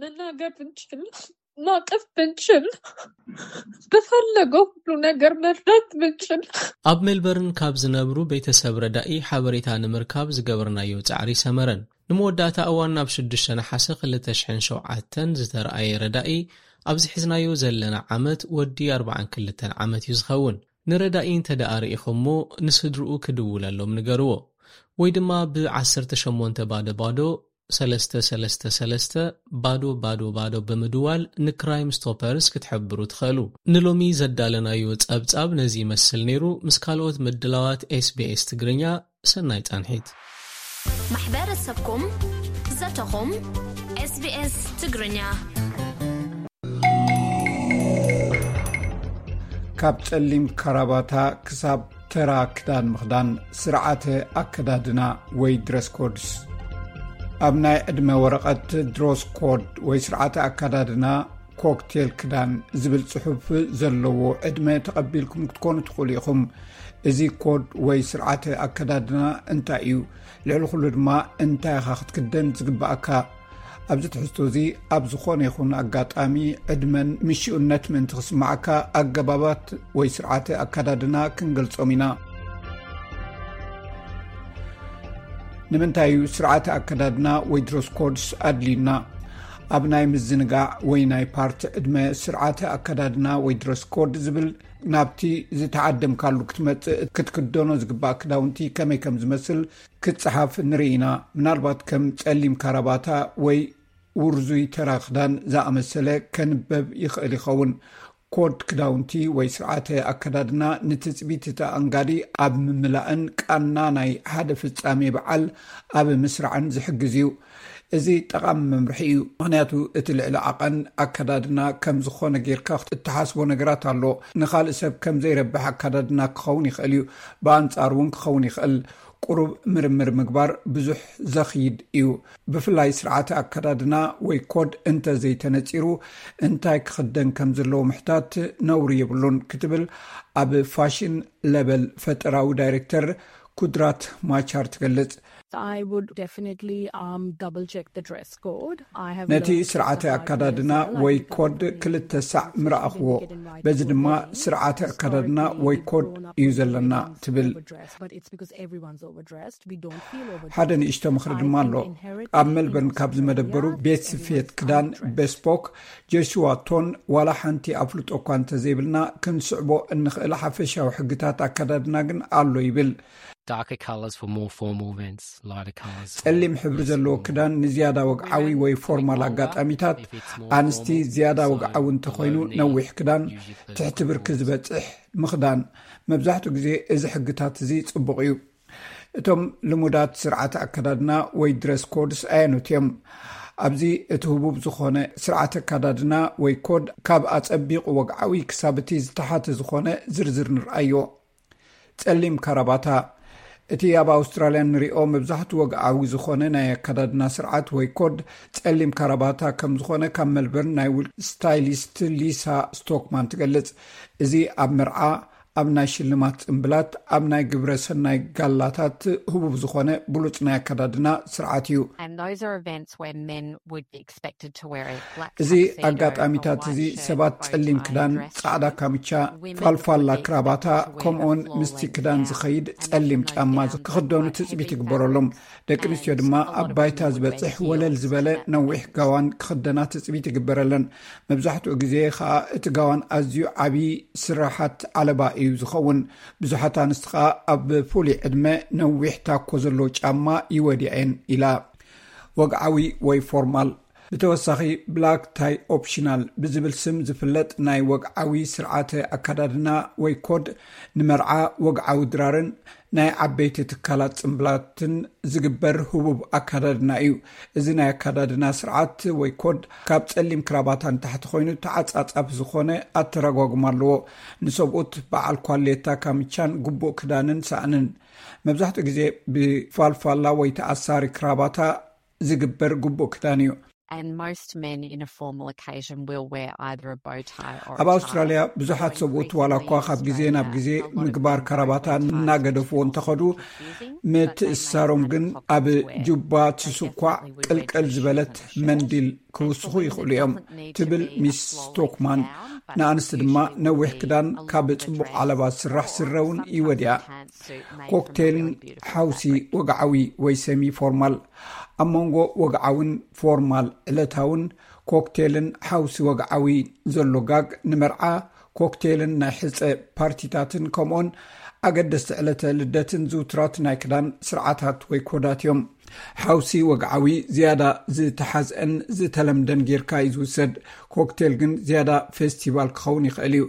መናገር ብንችል፣ ማቀፍ ብንችል፣ ብፈለገው ሁሉ ነገር መርዳት ብንችል። ኣብ ሜልበርን ካብ ዝነብሩ ቤተሰብ ረዳኢ ሓበሬታ ንምርካብ ዝገበርናዮ ጻዕሪ ሰመረን። ንመወዳእታ እዋን ናብ ሽዱሽተ ነሓሰ ክልተ ሽሕን ሸውዓተን ዝተረኣየ ረዳኢ ኣብዚ ሒዝናዮ ዘለና ዓመት ወዲ ኣርባዓን ክልተን ዓመት እዩ ዝኸውን። ንረዳኢ እንተ ደኣ ርኢኹሞ ንስድርኡ ክድውለሎም ንገርዎ። ወይ ድማ ብ ዓሰርተ ሸሞንተ ባዶ ባዶ ሰለስተ ሰለስተ ሰለስተ ባዶ ባዶ ባዶ ብምድዋል ንክራይም ስቶፐርስ ክትሕብሩ ትኽእሉ። ንሎሚ ዘዳለናዮ ጸብጻብ ነዚ ይመስል ነይሩ። ምስ ካልኦት ምድላዋት ኤስቢኤስ ትግርኛ ሰናይ ጻንሒት። ማሕበረሰብኩም ዘተኹም ኤስቢኤስ ትግርኛ። ካብ ጸሊም ካራባታ ክሳብ ተራ ክዳን ምኽዳን፣ ስርዓተ ኣከዳድና ወይ ድረስ ኮድስ። ኣብ ናይ ዕድመ ወረቐት ድረስ ኮድ ወይ ስርዓተ ኣከዳድና ኮክቴል ክዳን ዝብል ጽሑፍ ዘለዎ ዕድመ ተቐቢልኩም ክትኮኑ ትኽእሉ ኢኹም። እዚ ኮድ ወይ ስርዓተ ኣከዳድና እንታይ እዩ? ልዕሊ ኩሉ ድማ እንታይ ኢኻ ክትክደን ዝግብኣካ? ኣብዚ ትሕዝቶ እዚ ኣብ ዝኾነ ይኹን ኣጋጣሚ ዕድመን ምሽኡነት ምእንቲ ክስምዓካ ኣገባባት ወይ ስርዓተ ኣከዳድና ክንገልጾም ኢና። ንምንታይ እዩ ስርዓተ ኣከዳድና ወይ ድረስ ኮድስ ኣድልዩና? ኣብ ናይ ምዝንጋዕ ወይ ናይ ፓርቲ ዕድመ ስርዓተ ኣከዳድና ወይ ድረስ ኮድ ዝብል ናብቲ ዝተዓደምካሉ ክትመጽእ ክትክደኖ ዝግባእ ክዳውንቲ ከመይ ከም ዝመስል ክትጽሓፍ ንርኢ ኢና። ምናልባት ከም ጸሊም ካራባታ ወይ ውርዙይ ተራ ክዳን ዝኣመሰለ ከንበብ ይኽእል ይኸውን። ኮድ ክዳውንቲ ወይ ስርዓተ ኣከዳድና ንትጽቢት እቲ ኣንጋዲ ኣብ ምምላእን ቃና ናይ ሓደ ፍጻሜ በዓል ኣብ ምስራዕን ዝሕግዝ እዩ። እዚ ጠቓሚ መምርሒ እዩ፣ ምኽንያቱ እቲ ልዕሊ ዓቐን ኣከዳድና ከም ዝኾነ ጌርካ እትሓስቦ ነገራት ኣሎ። ንኻልእ ሰብ ከም ዘይረብሕ ኣከዳድና ክኸውን ይኽእል እዩ፣ ብኣንጻሩ እውን ክኸውን ይኽእል። ቁሩብ ምርምር ምግባር ብዙሕ ዘኽይድ እዩ። ብፍላይ ስርዓተ ኣከዳድና ወይ ኮድ እንተ ዘይተነጺሩ እንታይ ክኽደን ከም ዘለዎ ምሕታት ነውሪ የብሉን ክትብል ኣብ ፋሽን ለበል ፈጠራዊ ዳይሬክተር ኩድራት ማቻር ትገልጽ። I would definitely um, double check the dress code. I have ነቲ learned ስርዓተ the hard way ኣከዳድና as well, ወይ like, ኮድ because ክልተ it's ሳዕ something ምረኣኽዎ። you get invited በዚ to a ድማ wedding. ስርዓተ ኣከዳድና Historically, ወይ we've ኮድ grown up እዩ with ዘለና everyone being ትብል። Overdressed, but it's because everyonene's overdressed. We don't feel overdressed. ሓደ ንእሽቶ ምኽሪ ድማ ኣሎ። ኣብ ሜልበርን ካብ ዝመደበሩ ቤት ስፌት ክዳን ቤስፖክ ጆሽዋ ቶን ዋላ ሓንቲ ኣፍልጦ እኳ እንተዘይብልና ክንስዕቦ እንኽእል ሓፈሻዊ ሕግታት ኣከዳድና ግን ኣሎ ይብል። Darker colors for more formal events, lighter colors. ጸሊም ሕብሪ ዘለዎ ክዳን ንዝያዳ ወግዓዊ ወይ ፎርማል ኣጋጣሚታት፣ ኣንስቲ ዝያዳ ወግዓዊ እንተኾይኑ ነዊሕ ክዳን፣ ትሕቲ ብርኪ ዝበጽሕ ምኽዳን። መብዛሕትኡ ግዜ እዚ ሕግታት እዚ ጽቡቕ እዩ። እቶም ልሙዳት ስርዓተ ኣከዳድና ወይ ድረስ ኮድስ ኣየኑት እዮም? ኣብዚ እቲ ህቡብ ዝኾነ ስርዓተ ኣከዳድና ወይ ኮድ ካብ ኣጸቢቑ ወግዓዊ ክሳብ እቲ ዝተሓተ ዝኾነ ዝርዝር ንርኣዮ። ጸሊም ካራባታ። እቲ ኣብ ኣውስትራልያ ንሪኦ መብዛሕትኡ ወግዓዊ ዝኾነ ናይ ኣከዳድና ስርዓት ወይ ኮድ ጸሊም ካራባታ ከም ዝኾነ ካብ ሜልበርን ናይ ውል ስታይሊስት ሊሳ ስቶክማን ትገልጽ። እዚ ኣብ መርዓ፣ ኣብ ናይ ሽልማት ጽምብላት፣ ኣብ ናይ ግብረ ሰናይ ጋላታት ህቡብ ዝኾነ ብሉጽ ናይ ኣከዳድና ስርዓት እዩ። And those are events where men would be expected to wear a black እዚ tuxedo, a ኣጋጣሚታት white እዚ shirt, ሰባት bow ጸሊም tie, ክዳን፣ dress ጻዕዳ shoes. ካምቻ፣ Women ፋልፋላ would be ክራባታ፣ expected to wear a ከምኡውን full ምስቲ length ክዳን gown, ዝኸይድ and ጸሊም that's no ጫማ down ክኽደኑ style, ትጽቢት heavy ይግበረሎም። fabrics, ደቂ ኣንስትዮ ድማ ኣብ ባይታ ዝበጽሕ ወለል ዝበለ ነዊሕ ጋዋን ክኽደና ትጽቢት ይግበረለን። መብዛሕትኡ ግዜ ኸኣ እቲ ጋዋን ኣዝዩ ዓቢ ስራሓት ዓለባ እዩ ዝኸውን። ብዙሓት ኣንስቲ ኸኣ ኣብ ፍሉይ ዕድመ ነዊሕ ታኮ ዘለዎ ጫማ ይወድያ እየን ኢላ። ወግዓዊ ወይ ፎርማል። ብተወሳኺ ብላክ ታይ ኦፕሽናል ብዝብል ስም ዝፍለጥ ናይ ወግዓዊ ስርዓተ ኣከዳድና ወይ ኮድ ንመርዓ፣ ወግዓዊ ድራርን ናይ ዓበይቲ ትካላት ጽምብላትን ዝግበር ህቡብ ኣከዳድና እዩ። እዚ ናይ ኣከዳድና ስርዓት ወይ ኮድ ካብ ጸሊም ክራባታ ንታሕቲ ኮይኑ ተዓጻጻፊ ዝኾነ ኣተረጓጉም ኣለዎ። ንሰብኡት በዓል ኳሌታ ካምቻን ግቡእ ክዳንን ሳእንን። መብዛሕትኡ ግዜ ብፋልፋላ ወይ ተኣሳሪ ክራባታ ዝግበር ግቡእ ክዳን እዩ። And most men in a formal occasion will wear either a bow tie or a ኣብ ኣውስትራልያ ብዙሓት ሰብኡት ዋላ እኳ ካብ ግዜ ናብ ግዜ ምግባር ካራባታ እናገደፍዎ እንተኸዱ፣ ምትእሳሮም ግን ኣብ ጁባ ትስኳዕ ቅልቅል ዝበለት መንዲል ክውስኹ ይኽእሉ እዮም ትብል ሚስ ስቶክማን። ንኣንስቲ ድማ ነዊሕ ክዳን ካብ ጽቡቕ ዓለባ ዝስራሕ ስረ እውን ይወድያ። ኮክቴልን ሓውሲ ወግዓዊ ወይ ሰሚ ፎርማል። ኣብ መንጎ ወግዓውን ፎርማል ዕለታውን ኮክቴልን ሓውሲ ወግዓዊ ዘሎ ጋግ ንመርዓ፣ ኮክቴልን ናይ ሕጸ ፓርቲታትን ከምኡን ኣገደስቲ ዕለተ ልደትን ዝውትራት ናይ ክዳን ስርዓታት ወይ ኮዳት እዮም። ሓውሲ ወግዓዊ ዝያዳ ዝተሓዝአን ዝተለምደን ጌርካ እዩ ዝውሰድ። ኮክቴል ግን ዝያዳ ፌስቲቫል ክኸውን ይኽእል እዩ።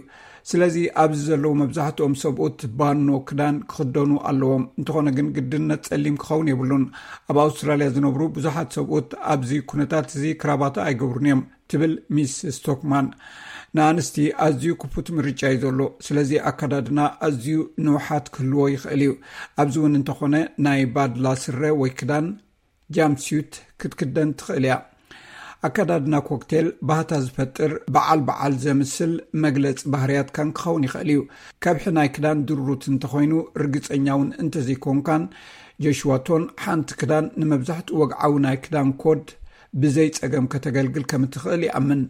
ስለዚ ኣብዚ ዘለዉ መብዛሕትኦም ሰብኡት ባኖ ክዳን ክኽደኑ ኣለዎም። እንተኾነ ግን ግድነት ጸሊም ክኸውን የብሉን። ኣብ ኣውስትራልያ ዝነብሩ ብዙሓት ሰብኡት ኣብዚ ኩነታት እዚ ክራባታ ኣይገብሩን እዮም ትብል ሚስ ስቶክማን። ንኣንስቲ ኣዝዩ ክፉት ምርጫ እዩ ዘሎ። ስለዚ ኣከዳድና ኣዝዩ ንውሓት ክህልዎ ይኽእል እዩ። ኣብዚ እውን እንተኾነ ናይ ባድላ ስረ ወይ ክዳን ጃምፕሱት ክትክደን ትኽእል እያ። ኣከዳድና ኮክቴል ባህታ ዝፈጥር በዓል በዓል ዘምስል መግለጺ ባህርያትካን ክኸውን ይኽእል እዩ። ከብሒ ናይ ክዳን ድሩት እንተኾይኑ፣ ርግጸኛ እውን እንተዘይኮንካን፣ ጆሽዋ ቶን ሓንቲ ክዳን ንመብዛሕትኡ ወግዓዊ ናይ ክዳን ኮድ ብዘይ ጸገም ከተገልግል ከም እትኽእል ይኣምን።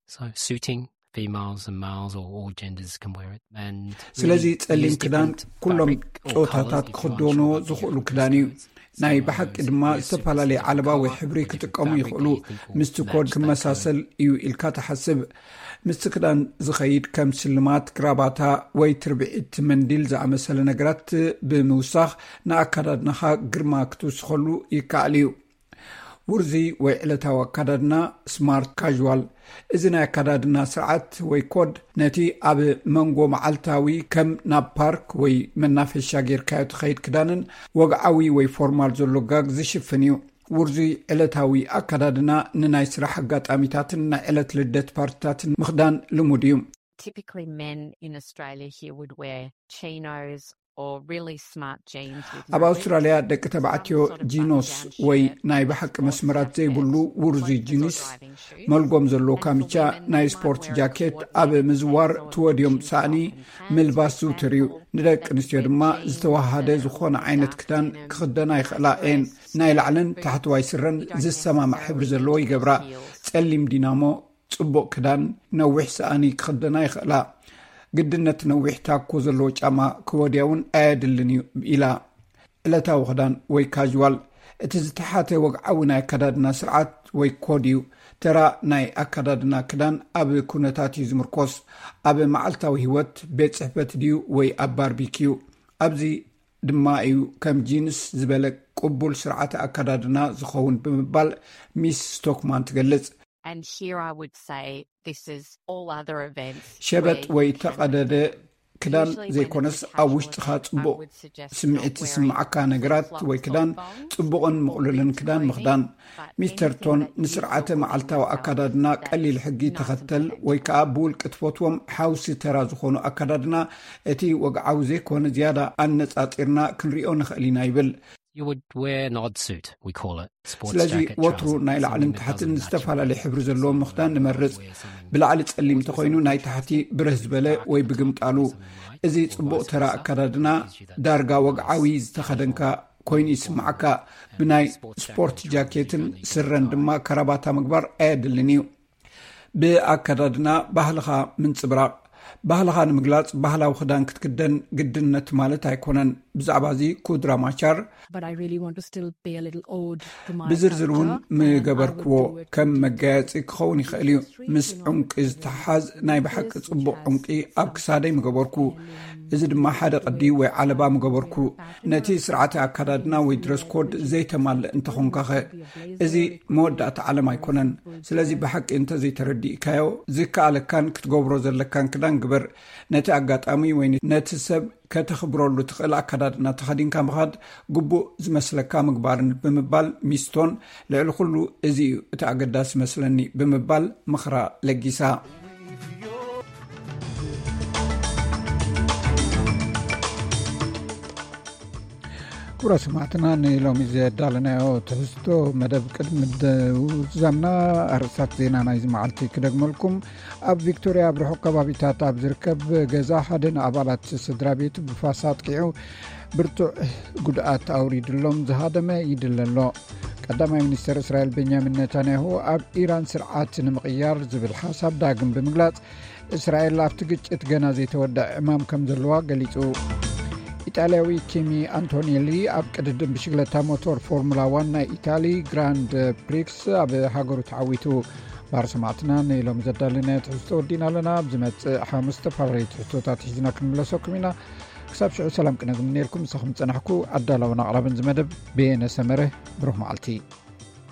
So suiting females and males or all genders can wear it. And ስለዚ ጸሊም ክዳን ኩሎም ጾታታት ክኽደንዎ ዝኽእሉ ክዳን እዩ። ናይ ብሓቂ ድማ ዝተፈላለየ ዓለባ ወይ ሕብሪ ክጥቀሙ ይኽእሉ። ምስቲ ኮድ ክመሳሰል እዩ ኢልካ ትሓስብ። ምስቲ ክዳን ዝኸይድ ከም ስልማት፣ ክራባታ ወይ ትርብዒት መንዲል ዝኣመሰለ ነገራት ብምውሳኽ ንኣከዳድናኻ ግርማ ክትውስኸሉ ይከኣል እዩ። ውርዚ ወይ ዕለታዊ ኣከዳድና፣ ስማርት ካዥዋል። እዚ ናይ ኣከዳድና ስርዓት ወይ ኮድ ነቲ ኣብ መንጎ መዓልታዊ ከም ናብ ፓርክ ወይ መናፈሻ ጌርካዮ ትኸይድ ክዳንን ወግዓዊ ወይ ፎርማል ዘሎ ጋግ ዝሽፍን እዩ። ውርዙይ ዕለታዊ ኣከዳድና ንናይ ስራሕ ኣጋጣሚታትን ናይ ዕለት ልደት ፓርቲታትን ምኽዳን ልሙድ እዩ። Typically, men in Australia here would wear chinos or really smart jeans with ኣብ ኣውስትራልያ ደቂ ተባዕትዮ ጂኖስ ወይ ናይ ብሓቂ መስመራት ዘይብሉ ውርዙይ ጂንስ፣ መልጎም ዘለዎ ካምቻ፣ ናይ ስፖርት ጃኬት፣ ኣብ ምዝዋር ትወድዮም ሳእኒ ምልባስ ዝውትር እዩ። ንደቂ ኣንስትዮ ድማ ዝተዋሃደ ዝኾነ ዓይነት ክዳን ክኽደና ይኽእላ እየን። ናይ ላዕልን ታሕተዋይ ስረን ዝሰማማዕ ሕብሪ ዘለዎ ይገብራ። ጸሊም ዲናሞ፣ ጽቡቕ ክዳን፣ ነዊሕ ሰኣኒ ክኽደና ይኽእላ። ግድነት ነዊሕ ታኮ ዘለዎ ጫማ ክወድያ እውን ኣየድልን እዩ ኢላ። ዕለታዊ ክዳን ወይ ካዥዋል፣ እቲ ዝተሓተ ወግዓዊ ናይ ኣከዳድና ስርዓት ወይ ኮድ እዩ። ተራ ናይ ኣከዳድና ክዳን ኣብ ኩነታት እዩ ዝምርኮስ። ኣብ መዓልታዊ ህይወት፣ ቤት ጽሕፈት ድዩ ወይ ኣብ ባርቢኪዩ? ኣብዚ ድማ እዩ ከም ጂንስ ዝበለ ቅቡል ስርዓተ ኣከዳድና ዝኸውን ብምባል ሚስ ስቶክማን ትገልጽ። And here I would say this is all other events. ሸበጥ ወይ ተቐደደ ክዳን ዘይኮነስ፣ ኣብ ውሽጥኻ ጽቡቕ ስምዒት ዝስምዓካ ነገራት ወይ ክዳን፣ ጽቡቕን ምቕሉልን ክዳን ምኽዳን። ሚስተር ቶን ንስርዓተ መዓልታዊ ኣከዳድና ቀሊል ሕጊ ተኸተል ወይ ከኣ ብውልቂ ትፈትዎም ሓውሲ ተራ ዝኾኑ ኣከዳድና፣ እቲ ወግዓዊ ዘይኮነ ዝያዳ ኣነጻጺርና ክንሪኦ ንኽእል ኢና ይብል። You would wear an odd suit, we call it. Sports ስለዚ jacket, ወትሩ trousers, ናይ ላዕልን something that ታሕትን matches ዝተፈላለየ the ሕብሪ colours ዘለዎ of the ምኽዳን colours. ንመርጽ። ብላዕሊ ጸሊም ተኾይኑ፣ ናይ ታሕቲ ብርህ ዝበለ ወይ ብግምጣሉ። እዚ ጽቡቕ ተራ ኣከዳድና፣ ዳርጋ ወግዓዊ ዝተኸደንካ ኮይኑ ይስምዓካ። ብናይ ስፖርት ጃኬትን ስረን ድማ ከራባታ ምግባር ኣየድልን እዩ። ብኣከዳድና ባህልኻ ምንጽብራቕ። ባህልኻ ንምግላጽ ባህላዊ ክዳን ክትክደን ግድነት ማለት ኣይኮነን። ብዛዕባ እዚ ኩድራ ማቻር፣ But I really want to still pay a little ode to my ብዝርዝር እውን culture, and I would ምገበርክዎ do it ከም with መጋየጺ ክኸውን ይኽእል እዩ። ምስ ዕንቂ ዝተሓዝ ናይ ብሓቂ ጽቡቕ ዕንቂ ኣብ ክሳደይ ምገበርኩ። እዚ ድማ ሓደ ቅዲ ወይ ዓለባ ምገበርኩ። ነቲ ስርዓተ ኣከዳድና ወይ ድረስ ኮድ ዘይተማልእ እንተኾንካኸ? እዚ መወዳእታ ዓለም ኣይኮነን። ስለዚ ብሓቂ እንተዘይተረዲእካዮ፣ ዝከኣለካን ክትገብሮ ዘለካን ክዳን ግበር። ነቲ ኣጋጣሚ ወይ ነቲ ሰብ ከተኽብረሉ ትኽእል ኣከዳድና ተኸዲንካ ምኻድ ግቡእ ዝመስለካ ምግባርን ብምባል ሚስቶን፣ ልዕሊ ኩሉ እዚ እዩ እቲ ኣገዳሲ መስለኒ ብምባል ምኽራ ለጊሳ። ክቡራት ሰማዕትና፣ ንሎሚ ዘዳለናዮ ትሕዝቶ መደብ ቅድሚ ምድዛምና ኣርእስታት ዜና ናይዚ መዓልቲ ክደግመልኩም። ኣብ ቪክቶርያ ኣብ ርሑቕ ከባቢታት ኣብ ዝርከብ ገዛ ሓደ ንኣባላት ስድራ ቤቱ ብፋስ ኣጥቂዑ ብርቱዕ ጉድኣት ኣውሪድሎም ዝሃደመ ይድለ ኣሎ። ቀዳማይ ሚኒስተር እስራኤል ቤንያሚን ኔታንያሁ ኣብ ኢራን ስርዓት ንምቕያር ዝብል ሓሳብ ዳግም ብምግላጽ፣ እስራኤል ኣብቲ ግጭት ገና ዘይተወድአ ዕማም ከም ዘለዋ ገሊጹ። ኢጣልያዊ ኪሚ ኣንቶኔሊ ኣብ ቅድድም ብሽግለታ ሞቶር ፎርሙላ ዋን ናይ ኢታሊ ግራንድ ፕሪክስ ኣብ ሃገሩ ተዓዊቱ። ባር ሰማዕትና ንሎሚ ዘዳለናዮ ትሕዝቶ ወዲና ኣለና። ኣብ ዝመጽእ ሓሙስ ዝተፈላለዩ ትሕዝቶታት ሒዝና ክንምለሰኩም ኢና። ክሳብ ሽዑ ሰላም ቅነ ዝምነየልኩም። ምሳኹም ዝጸናሕኩ ኣዳላውን ኣቕራብን ዝመደብ በየነ ሰመረ። ብሩኽ መዓልቲ።